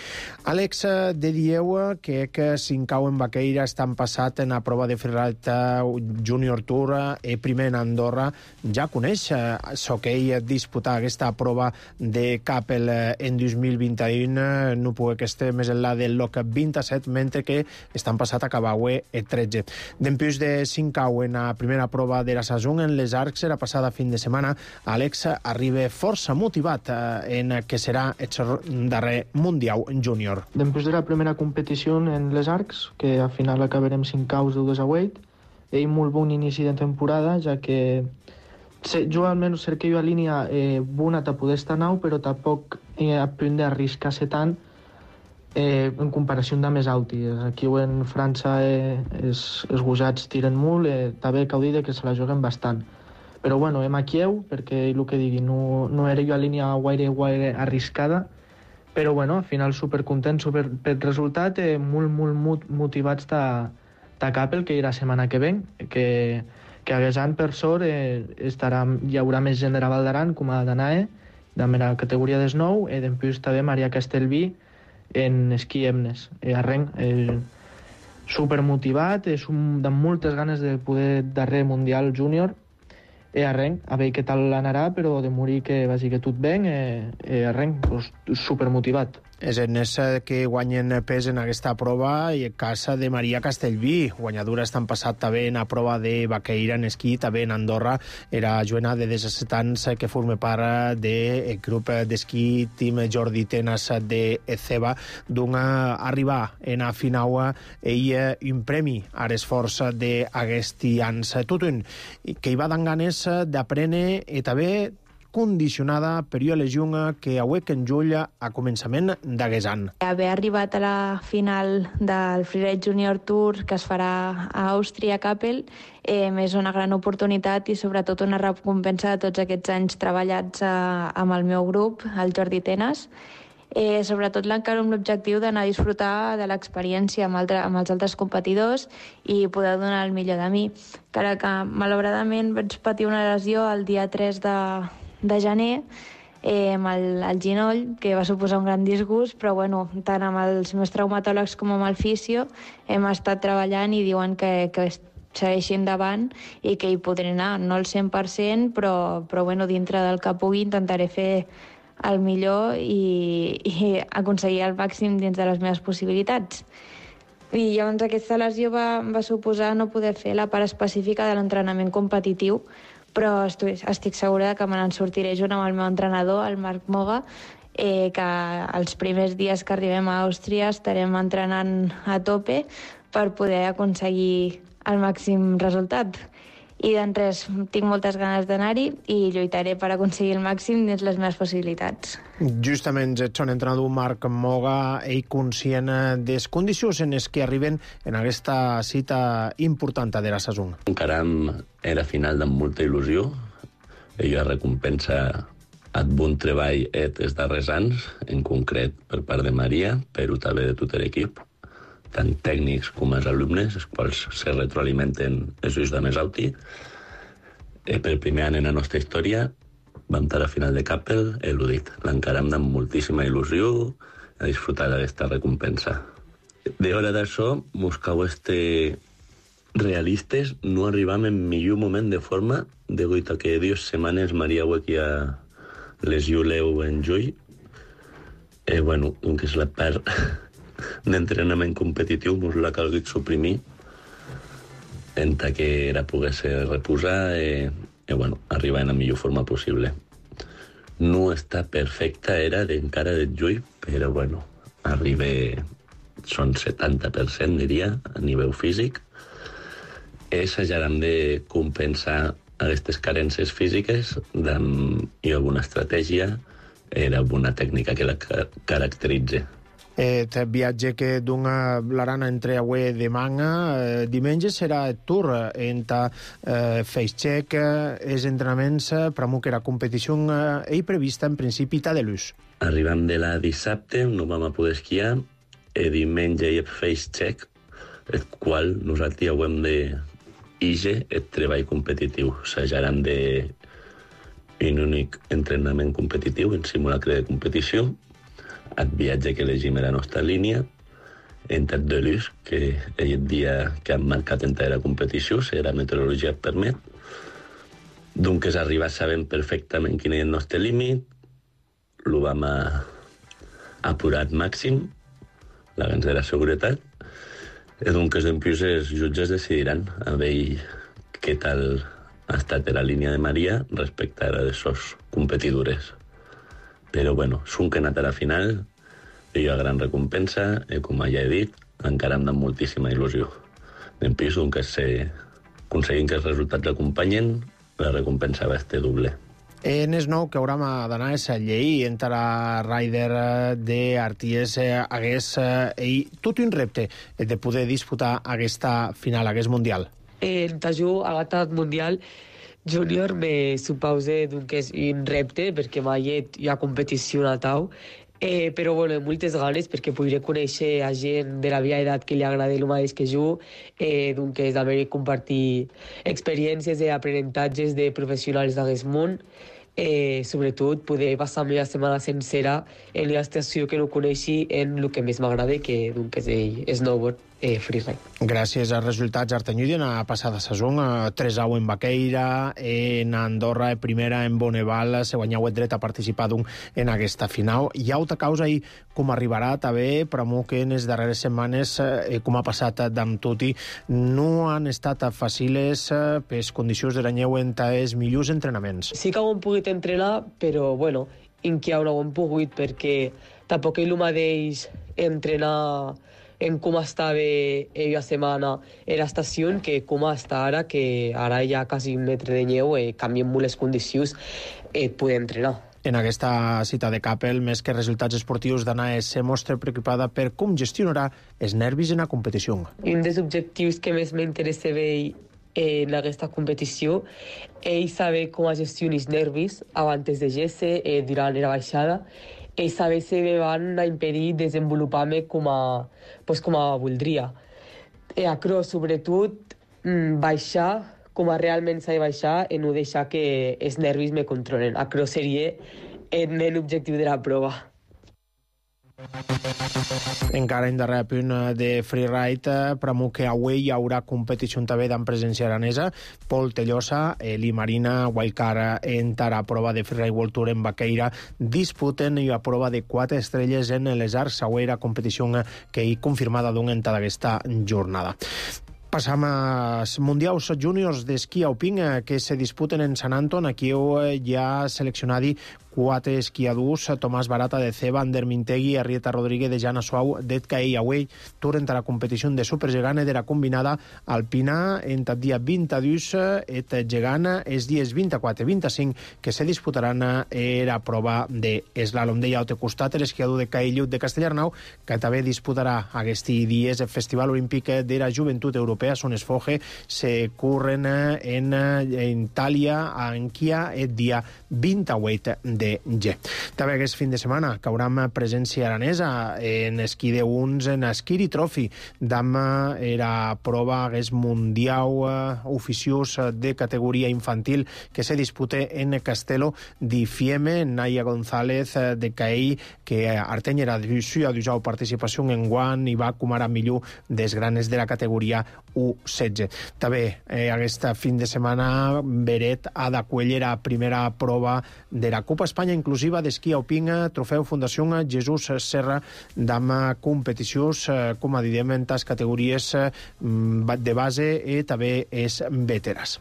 Àlex de Dieu, que que s'incau en Baqueira, estan passat en la prova de freeride Junior Tour, i primer en Andorra, ja coneix s'hoquei disputar aquesta prova de Kappel en dos mil vint-i-u, no puc que esté més enllà del loc vint-i-set, mentre que estan passat a Cabaue el tretze. Dempús de s'incau en la primera prova de la saison en les Arcs, la passada fin de setmana, Àlex arriba força motivat en que serà el darrer Mundial Júnior. Dempús de la primera competició en les Arcs, que al final acabarem s'incau de desaueit, ell molt bon inici de temporada, ja que jo almenys cerquei a línia eh, bona a poder estar nau, però tampoc eh, a punt d'arriscar-se tant eh, en comparació amb més alti. Aquí en França eh, els, els gosats tiren molt, eh, també cal dir que se la juguen bastant. Però bueno, hem a Kiev, perquè el que digui, no, no era jo a línia guaire, guaire arriscada, però bueno, al final supercontent super, pel resultat, eh, molt, molt motivats de, de Capel, que irà la setmana que ven, que, que haguesant per sort eh, estarà, hi haurà més gent de la Val d'Aran, com a d'Anae, de la categoria des nou, i després també Maria Castellví en esquí Emnes. Eh, arrenc, eh, supermotivat, és un, de moltes ganes de poder darrer Mundial Júnior, e arrenc, a veure què tal anarà, però de morir que vagi que tot ben, e, e arrenc, pues, supermotivat. És en ese que guanyen pes en aquesta prova i en casa de Maria Castellví, guanyadora estan passat també en la prova de Baqueira en esquí, també en Andorra, era Joana de disset anys que forma part del grup d'esquí Team Jordi Tenas de Ceba, d'un arribar en a final ell un premi a l'esforç d'aquests anys. Tot un que hi va dan ganes d'aprendre i també condicionada per una lesió que auec en juny a començament d'aquest any. Haver arribat a la final del Freeride Junior Tour que es farà a Àustria, a Kappel, eh, és una gran oportunitat i sobretot una recompensa de tots aquests anys treballats a, amb el meu grup, el Jordi Tenas. Eh, sobretot l'encara amb l'objectiu d'anar a disfrutar de l'experiència amb, altre, amb els altres competidors i poder donar el millor de mi. Encara que, malauradament, vaig patir una lesió el dia tres de, de gener eh, amb el, el ginoll, que va suposar un gran disgust, però bueno, tant amb els meus traumatòlegs com amb el fisio hem estat treballant i diuen que, que segueixi endavant i que hi podré anar, no al cent per cent, però, però bueno, dintre del que pugui intentaré fer el millor i, i aconseguir el màxim dins de les meves possibilitats. I llavors aquesta lesió va, va suposar no poder fer la part específica de l'entrenament competitiu, però estic, estic segura que me n'en sortiré junt amb el meu entrenador, el Marc Moga, eh, que els primers dies que arribem a Àustria estarem entrenant a tope per poder aconseguir el màxim resultat. I doncs res, tinc moltes ganes d'anar-hi i lluitaré per aconseguir el màxim dins les meves possibilitats. Justament ets un entrenador Marc Moga, ell conscient de les condicions en les que arriben en aquesta cita important de la saison. Encaram era final amb molta il·lusió. Ella recompensa el bon treball et els darrers anys, en concret per part de Maria, però també de tot l'equip, tant tècnics com els alumnes, els quals se retroalimenten els ulls de més alti. Eh, per primer any en la nostra història vam estar a final de Kappel, eludit. L'encaram amb moltíssima il·lusió a disfrutar d'aquesta recompensa. D'hora d'això, mos cau este realistes, no arribam en millor moment de forma, degut a que dues setmanes Maria Huequia lesió leu en juny. Eh, bueno, que és la part d'entrenament competitiu, mos l'ha calgut suprimir en que era pogués-se reposar i, i bueno, arribar en la millor forma possible. No està perfecta, era d'encara de juny, però bueno, arriba, són setanta per cent, diria, a nivell físic. I s'hajaran de compensar aquestes carències físiques amb alguna estratègia i alguna tècnica que la caracteritza. Et viatge que dona l'Arana entre avui de manga. Eh, diumenge serà el tour entre eh, Feixcheck, els entrenaments per a la competició eh, prevista en principi de l'ús. Arribam de la dissabte, no vam a poder esquiar, i diumenge hi ha Feixcheck, el qual nosaltres hem de ige el treball competitiu. S'hajaran de un únic entrenament competitiu en simulacre de competició, el viatge que elegim era la nostra línia, entre de l'ús, que és el dia que hem marcat entre la competició, si la meteorologia et permet. Donc és arribar sabent perfectament quin és el nostre límit, el vam a apurar al màxim, la gans de la seguretat, i donc és després els jutges decidiran a veure què tal ha estat la línia de Maria respecte a les seves competidores. Però, bueno, són que he anat a la final, hi ha gran recompensa, i com ja he dit, encara em dan moltíssima il·lusió. En pis, doncs, que aconseguim que els resultats acompanyen, la recompensa va estar doble. En es nou que haurem d'anar a la llei entre la Ryder d'Arties hagués eh, tot un repte de poder disputar aquesta final, aquest mundial. En tajú agatat mundial júnior me supause d'un que és un repte perquè mai hi ha competició a tau. Eh, però bueno, moltes ganes perquè podré conèixer a gent de la meva edat que li agrada el mateix que jo, eh, doncs és d'haver compartir experiències i aprenentatges de professionals d'aquest món, eh, sobretot poder passar la meva setmana sencera en la estació que no coneixi en el que més m'agrada, que doncs és el snowboard eh, freeride. Gràcies als resultats Artanyudi en la passada saison, tres a u en Baqueira, en Andorra, primera en Bonneval, se guanyau el dret a participar en aquesta final. Hi ha altra causa i com arribarà també, però que en les darreres setmanes, eh, com ha passat amb Tuti, no han estat fàcils eh, per les condicions de l'anyeu entre els millors entrenaments. Sí que ho hem pogut entrenar, però bueno, en què no ho hem pogut perquè tampoc el mateix entrenar en com estava la setmana en l'estació que com està ara, que ara hi ha quasi un metre de neu i eh, canvien molt les condicions eh, poder entrenar. En aquesta cita de Capel, més que resultats esportius, Danae se mostra preocupada per com gestionarà els nervis en la competició. Un dels objectius que més m'interessa en aquesta competició és saber com gestionar els nervis abans de gesse, eh, durant la baixada, i saber si me van impedir desenvolupar-me com a, pues, com a voldria. I acro, sobretot, baixar com a realment s'ha de baixar i no deixar que els nervis me controlen. Acro seria l'objectiu de la prova. Encara en darrer punt de freeride, però que avui hi haurà competició també amb presència aranesa. Pol Tellosa, Eli Marina, Wildcard entra a prova de freeride World Tour en Baqueira, disputen i a prova de quatre estrelles en les Arts, següera competició que hi confirmada d'un en aquesta jornada. Passam als Mundials Júniors d'esquí alpin que se disputen en Sant Anton. Aquí hi ha seleccionat quatre esquiadors, Tomàs Barata de Ceba, Ander Mintegui, Arrieta Rodríguez de Jana Suau, d'Edca i Awey, tur entre la competició de supergegant de la combinada alpina entre el dia vint-i-dos et gegant els dies vint-i-quatre i vint-i-cinc que se disputaran a la prova d'eslalom. Deia al costat l'esquiador de Caillut de Castellarnau, que també disputarà aquests dies el Festival Olímpic de la Joventut Europea, son esfoge, se curren en, en Itàlia, a Anquia, el dia vint-i-vuit de G. També aquest fin de setmana caurà presència aranesa en esquí de uns en Esquiri Trophy d'am era prova aquest mundial oficiós de categoria infantil que se dispute en Castelo di Fiemme. Naya González de Caell, que Arteny era d'Uixu, ha d'usar participació en guant i va com ara millor des granes de la categoria U setze. També eh, aquest fin de setmana Beret ha d'acollir la primera prova de la Copa Espanya inclusiva d'esquí alpin, trofeu Fundació Jesús Serra d'am competicions, com a diem, en les categories de base i també és veterans.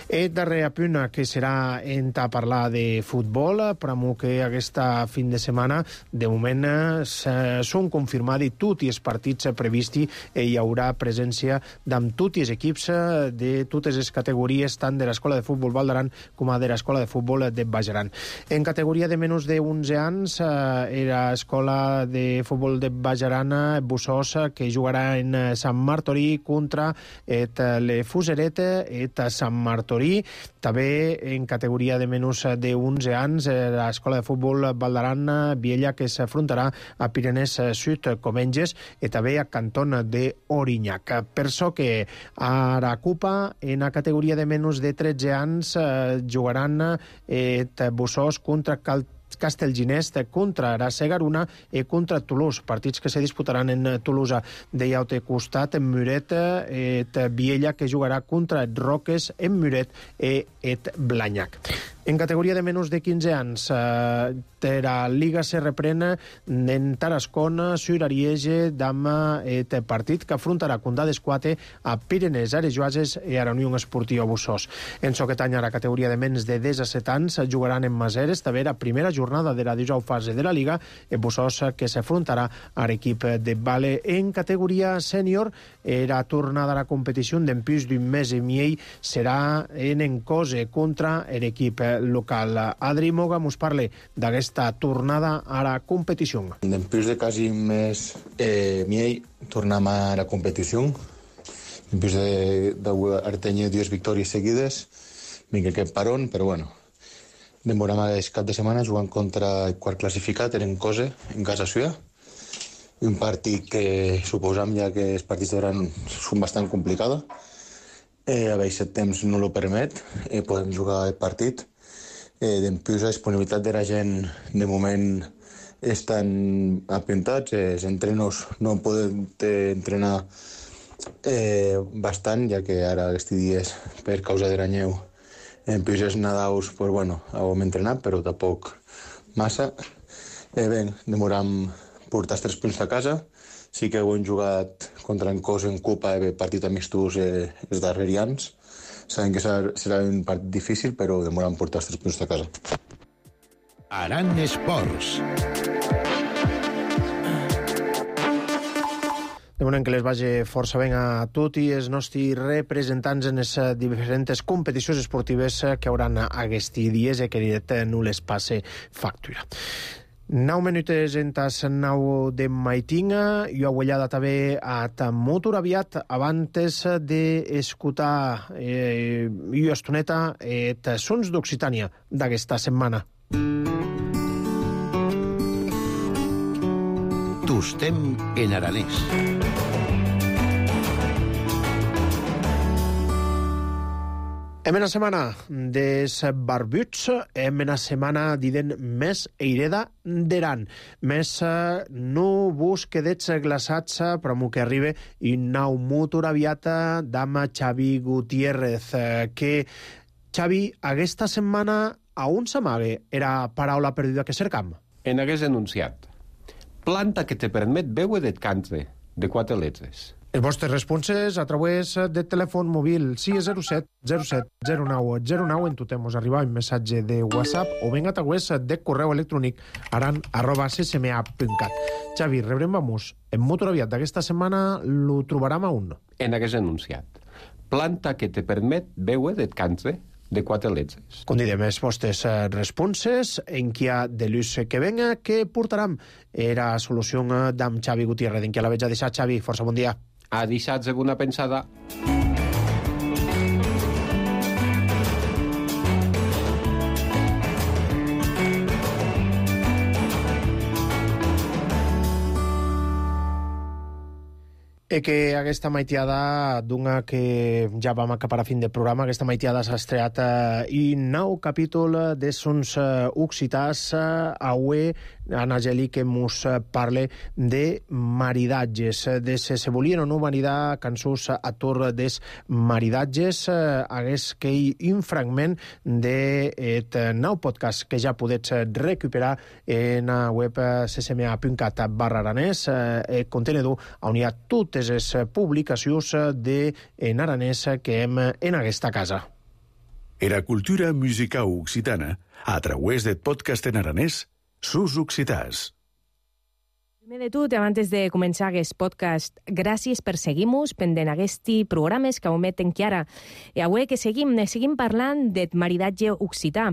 El darrer punt que serà en parlar de futbol, però que aquesta fin de setmana de moment són confirmats tots els partits previstos i hi haurà presència d'amb tots els equips de totes les categories, tant de l'Escola de Futbol Val d'Aran com de l'Escola de Futbol de Baix Aran. En categoria de menys de onze anys, eh, era Escola de Futbol de Baix Aran, Bussós, que jugarà en Sant Martorí contra et le Fuseret et Sant Martorí. També en categoria de menys de onze anys, eh, l'Escola de Futbol Val d'Aran, Viella, que s'afrontarà a Pirenès Sud Comenges i també a Canton de Orinyac. Per això que a la Copa, en la categoria de menys de tretze anys, eh, jugaran et Bussós contra Cal Castellginest, contra la Segaruna i contra Toulouse, partits que se disputaran en Toulouse. De l'altre costat, en Muret, et Viella, que jugarà contra et Roques, en Muret i et Blanyac. En categoria de menys de quinze anys, eh, la Liga se reprèn en Tarascon, sur Ariege, d'am et partit que afrontarà Condà d'Esquate a Pirenès, Arejuases i a la Unió Esportiva Bussós. En Soquetanya, la categoria de menys de disset anys, jugaran en Maseres, també la primera jornada de la dissetena fase de la Liga, en Bussós, que s'afrontarà a l'equip de Vale. En categoria sènior, la tornada a la competició d'en plus d'un mes i mig serà en Encose contra l'equip local. Adri Moga mos parla d'aquesta tornada a la competició. Després de quasi un mes eh, miei tornem a la competició. Després de, de tenir dues victòries seguides, vinc aquest parón, però bueno, demorem aquest cap de setmana jugant contra el quart classificat, en Cose, en casa suya. Un partit que suposam ja que els partits d'hora són bastant complicats. Eh, a veure, el temps no ho permet, eh, podem jugar el partit. Eh, Després la disponibilitat de la gent de moment estan apuntats, eh, els entrenos no poden entrenar eh, bastant, ja que ara aquests dies per causa de la neu en pisos nadaus, pues bueno, hem entrenat, però tampoc massa. Eh, bé, demoram portar els tres punts a casa. Sí que hem jugat contra en Cos en Copa, eh, partit amistós eh, els darrers anys. Sabem que serà, serà un partit difícil, però demoram portar els tres punts a casa. Aran Esports. Demanem que les vagi força ben a tots i els nostres representants en les diferents competicions esportives que hauran aquests dies i que directe no les passe factura. Nou minutes en tas nou de maitinga, jo aguellada també a molt aviat abans d'escoltar eh, jo estoneta et sons d'Occitània d'aquesta setmana. Tostem en aranès. Hem una setmana des barbuts, hem una setmana diden més eireda d'Aran, més no vos quedets glaçats però mo que arribe i nau motor aviat d'ama Xavi Gutiérrez, que Xavi, aquesta setmana a on s'amague era paraula perduda que cercam? En hagués enunciat. Planta que te permet veure de cante, de quatre letres. Els vostres responses a través del telèfon mòbil sis zero set zero set zero nou zero nou en totem us arriba un missatge de WhatsApp o ben a través de correu electrònic aran arroba c s m a punt cat. Xavi, rebrem vamos. En motor aviat d'aquesta setmana lo trobarem a un. En hagués enunciat. Planta que te permet veure de cante, de quatre letres. Convidem els vostres responses en qui ha de l'ús que venga, que portarem era solució d'am Xavi Gutiérrez. En qui la veig a deixar, Xavi? Força bon dia. A deixar alguna pensada. E que aquesta maitiada d'una que ja vam acabar a fin de programa, aquesta maitiada s'ha estreat eh, i nou capítol de sons eh, occitans eh, avui Anna Geli que mos parle de maridatges, de se se volien o no maridar cançons a tor des maridatges, eh, hagués que hi un fragment d'aquest nou podcast que ja podets recuperar en la web c s m a punt cat barra aranès, eh, contenedor on hi ha totes les publicacions de en aranès que hem en aquesta casa. Era cultura musical occitana a través del podcast en aranès Sus Occitans. Primer de tot, abans de començar aquest podcast, gràcies per seguir-nos pendent aquests programes que ometen que ara. I avui que seguim, seguim parlant del maridatge occità.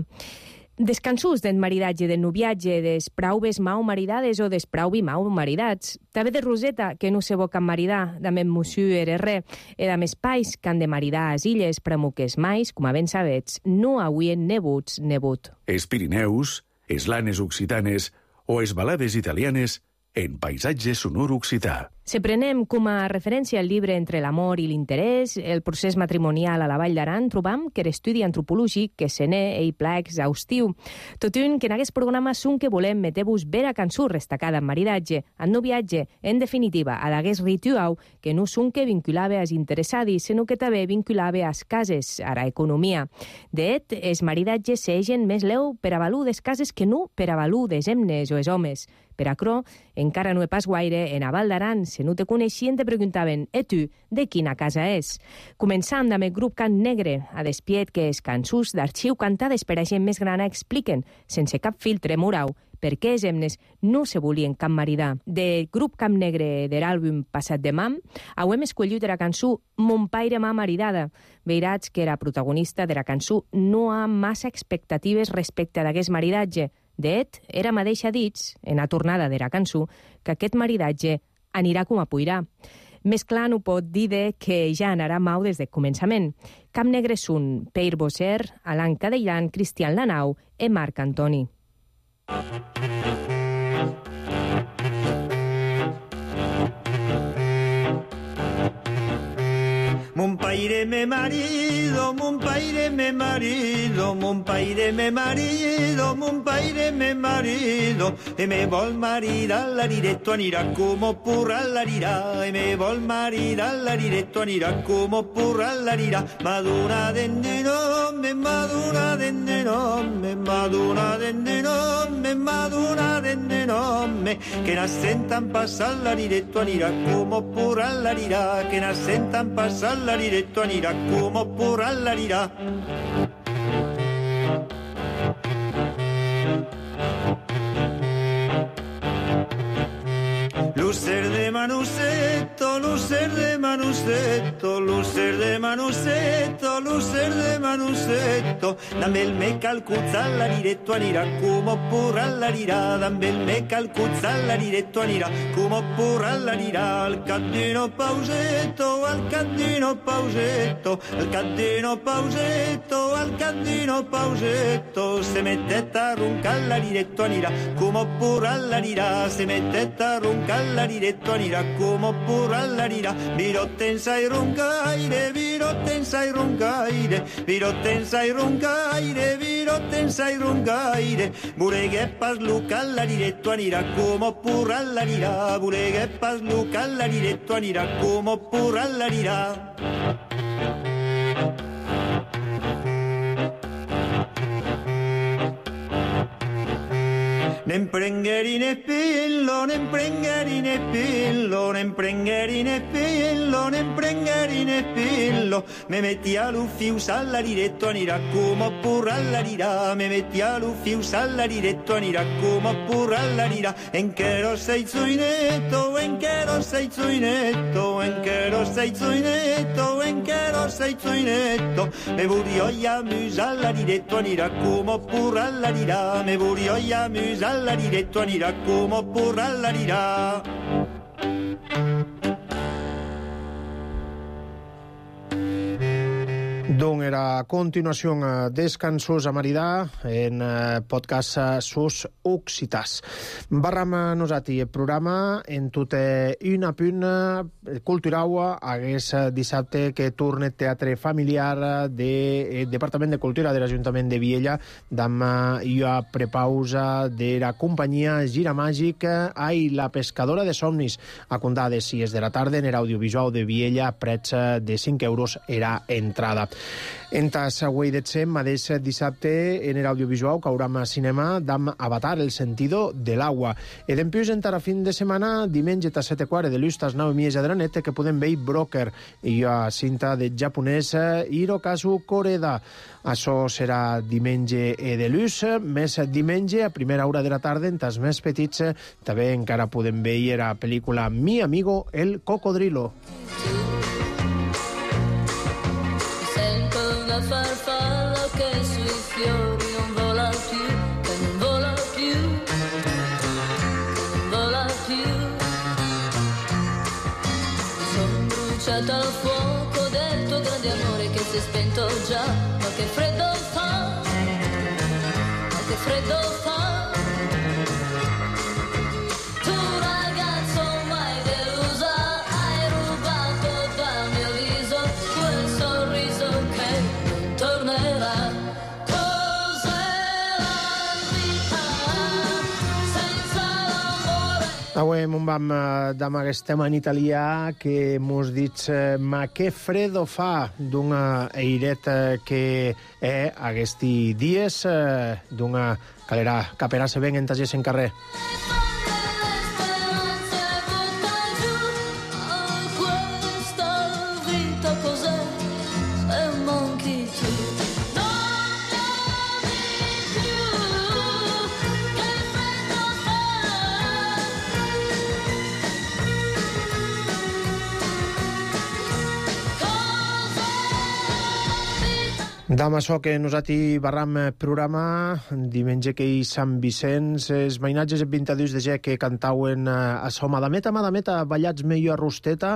Des cançons del maridatge, del noviatge, des prauves mau maridades o des prauvi mau maridats. També de Roseta, que no se bo can maridar, damb en Monsieur R R, e damb espais que han de maridar a illes, pramo que es mais, com a ben sabets, no auien nebuts nebut. Els Pirineus, es lanes occitanes o es balades italianes en paisatge sonor occità. Se prenem com a referència el llibre Entre l'amor i l'interès, el procés matrimonial a la Vall d'Aran, trobam que l'estudi antropològic que se n'é ei pla exhaustiu. Tot un que en aquest programa són que volem meter-vos vera cançó destacada en maridatge, en noviatge, en definitiva, a d'aguest ritual que no són que vinculava als interessats, sinó que també vinculava als cases, a la economia. De et, els maridatges s'egen més leu per a valor des cases que no per a valor des emnes o els homes. Per acrò, encara no he pas guaire, en a Val d'Aran, si no te coneixien, te preguntaven, e tu, de quina casa és? Començant amb el grup Cant Negre, a despiet que els cançons d'arxiu cantades per a gent més grana expliquen, sense cap filtre moral, perquè els hemnes no se volien cap maridar. Del grup Camp Negre de l'àlbum Passat de Mam, auem escollit la cançó Mon paire m'ha maridada. Veirats que la protagonista de la cançó no ha massa expectatives respecte a d'aquest maridatge. D'et, era mateixa dits, en la tornada de la cançó, que aquest maridatge anirà com a puirà. Més clar no pot dir de que ja anarà mau des del començament. Camp Negre són Peir Bosser, Alan Cadellan, Cristian Lanau i Marc Antoni. Mon paire me marido, mon paire me marido, mon paire me marido, mon paire me marido, e me vol maridar l'ariretto anirà come purra l'arirà, e me vol maridar l'ariretto anirà come purra l'arirà, maduna dende nome, maduna dende nome, maduna dende nome, maduna dende nome, che n'assentan passar l'ariretto anirà come purra l'arirà, che n'assentan passar l'ariretto anirà come purra l'arirà. Lucer de Manusetto, lucer de Manusetto, lucer de Manusetto, lucer de Manusetto, dammi il me calcuzza all'ariretto anirà come purra all'arirà, dammi il me calcuzza all'ariretto anirà come purra all'arirà, al caddino pausetto, al caddino pausetto, al caddino pausetto, al caddino pausetto, se mettete a roncar all'ariretto anirà come purra all'arirà, se mettete a roncar all'ariretto anirà come purra all'arirà, virotten sai roncaire, virotten sai roncaire, virotten sai roncaire, virotten sai roncaire, pure che pasluca all'ariretto anirà come purra all'arirà, pure che pasluca all'ariretto anirà come purra all'arirà. Nem prengeri ne pillo, nem prengeri ne pillo, nem prengeri ne pillo, nem prengeri ne pillo, me metti a l'uffius all'ariretto anirà come purra all'arirà, me metti a l'uffius all'ariretto anirà come purra all'arirà, en che lo sei zuinetto, en che lo sei zuinetto, en che lo sei zuinetto, en che lo sei zuinetto, me burio ja mus all'ariretto anirà come purra all'arirà, me burio ja mus all'ariretto anirà come purra all'arirà. Don era a continuación uh, descansos a maridar en uh, podcast uh, sus occitàs. Barram nosati el programa en tota una punt uh, cultural hagués dissabte que torna teatre familiar de eh, Departament de Cultura de l'Ajuntament de Viella d'am uh, i a prepausa de la companyia Gira Màgic ai la pescadora de somnis a comptar de sis de la tarda en l'audiovisual de Viella prets de cinc euros era entrada. Entas avui d'etsem, mateix dissabte en l'audiovisual cauram a cinema d'am Avatar, el sentido de l'agua. E d'empius entar a fin de setmana, diumenge a set i quart de l'ustas nau mies de la neta que podem veure Broker i a cinta de japonès Hirokazu Koreda. Això serà diumenge de l'ús, més diumenge a primera hora de la tarda, entas més petits també encara podem veure la pel·lícula Mi amigo el cocodrilo. La farfalla che sui fiori non vola più, che non vola più, che non vola più. Mi sono bruciata al fuoco del tuo grande amore che si è spento già, ma che freddo fa, ma che freddo fa. Tu ragazzo mai delusa, hai rubato dal mio viso quel sorriso che tornerà. Cos'è la vita senza l'amore? Avui mon vam d'am aquest tema en italià que mos dits ma che freddo fa d'una eiret que è aquesti dies d'una calera caperà se ven entages en carrer. Che Dam açò que nosaltres barram programa diumenge que hi Sant Vicenç, els mainatges el vint-i-dos de gener que cantauen a so Madameta, Madameta, ballats meio a Rosteta,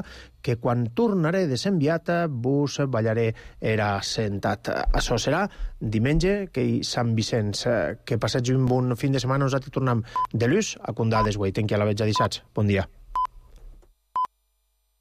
que quan tornaré de s'enviat vos ballaré era sentat. Açò serà diumenge que hi Sant Vicenç. Que passegi un bon fin de setmana, nosaltres tornem de l'ús a Condades, güey. Tenqui a la vetja dissats. Bon dia.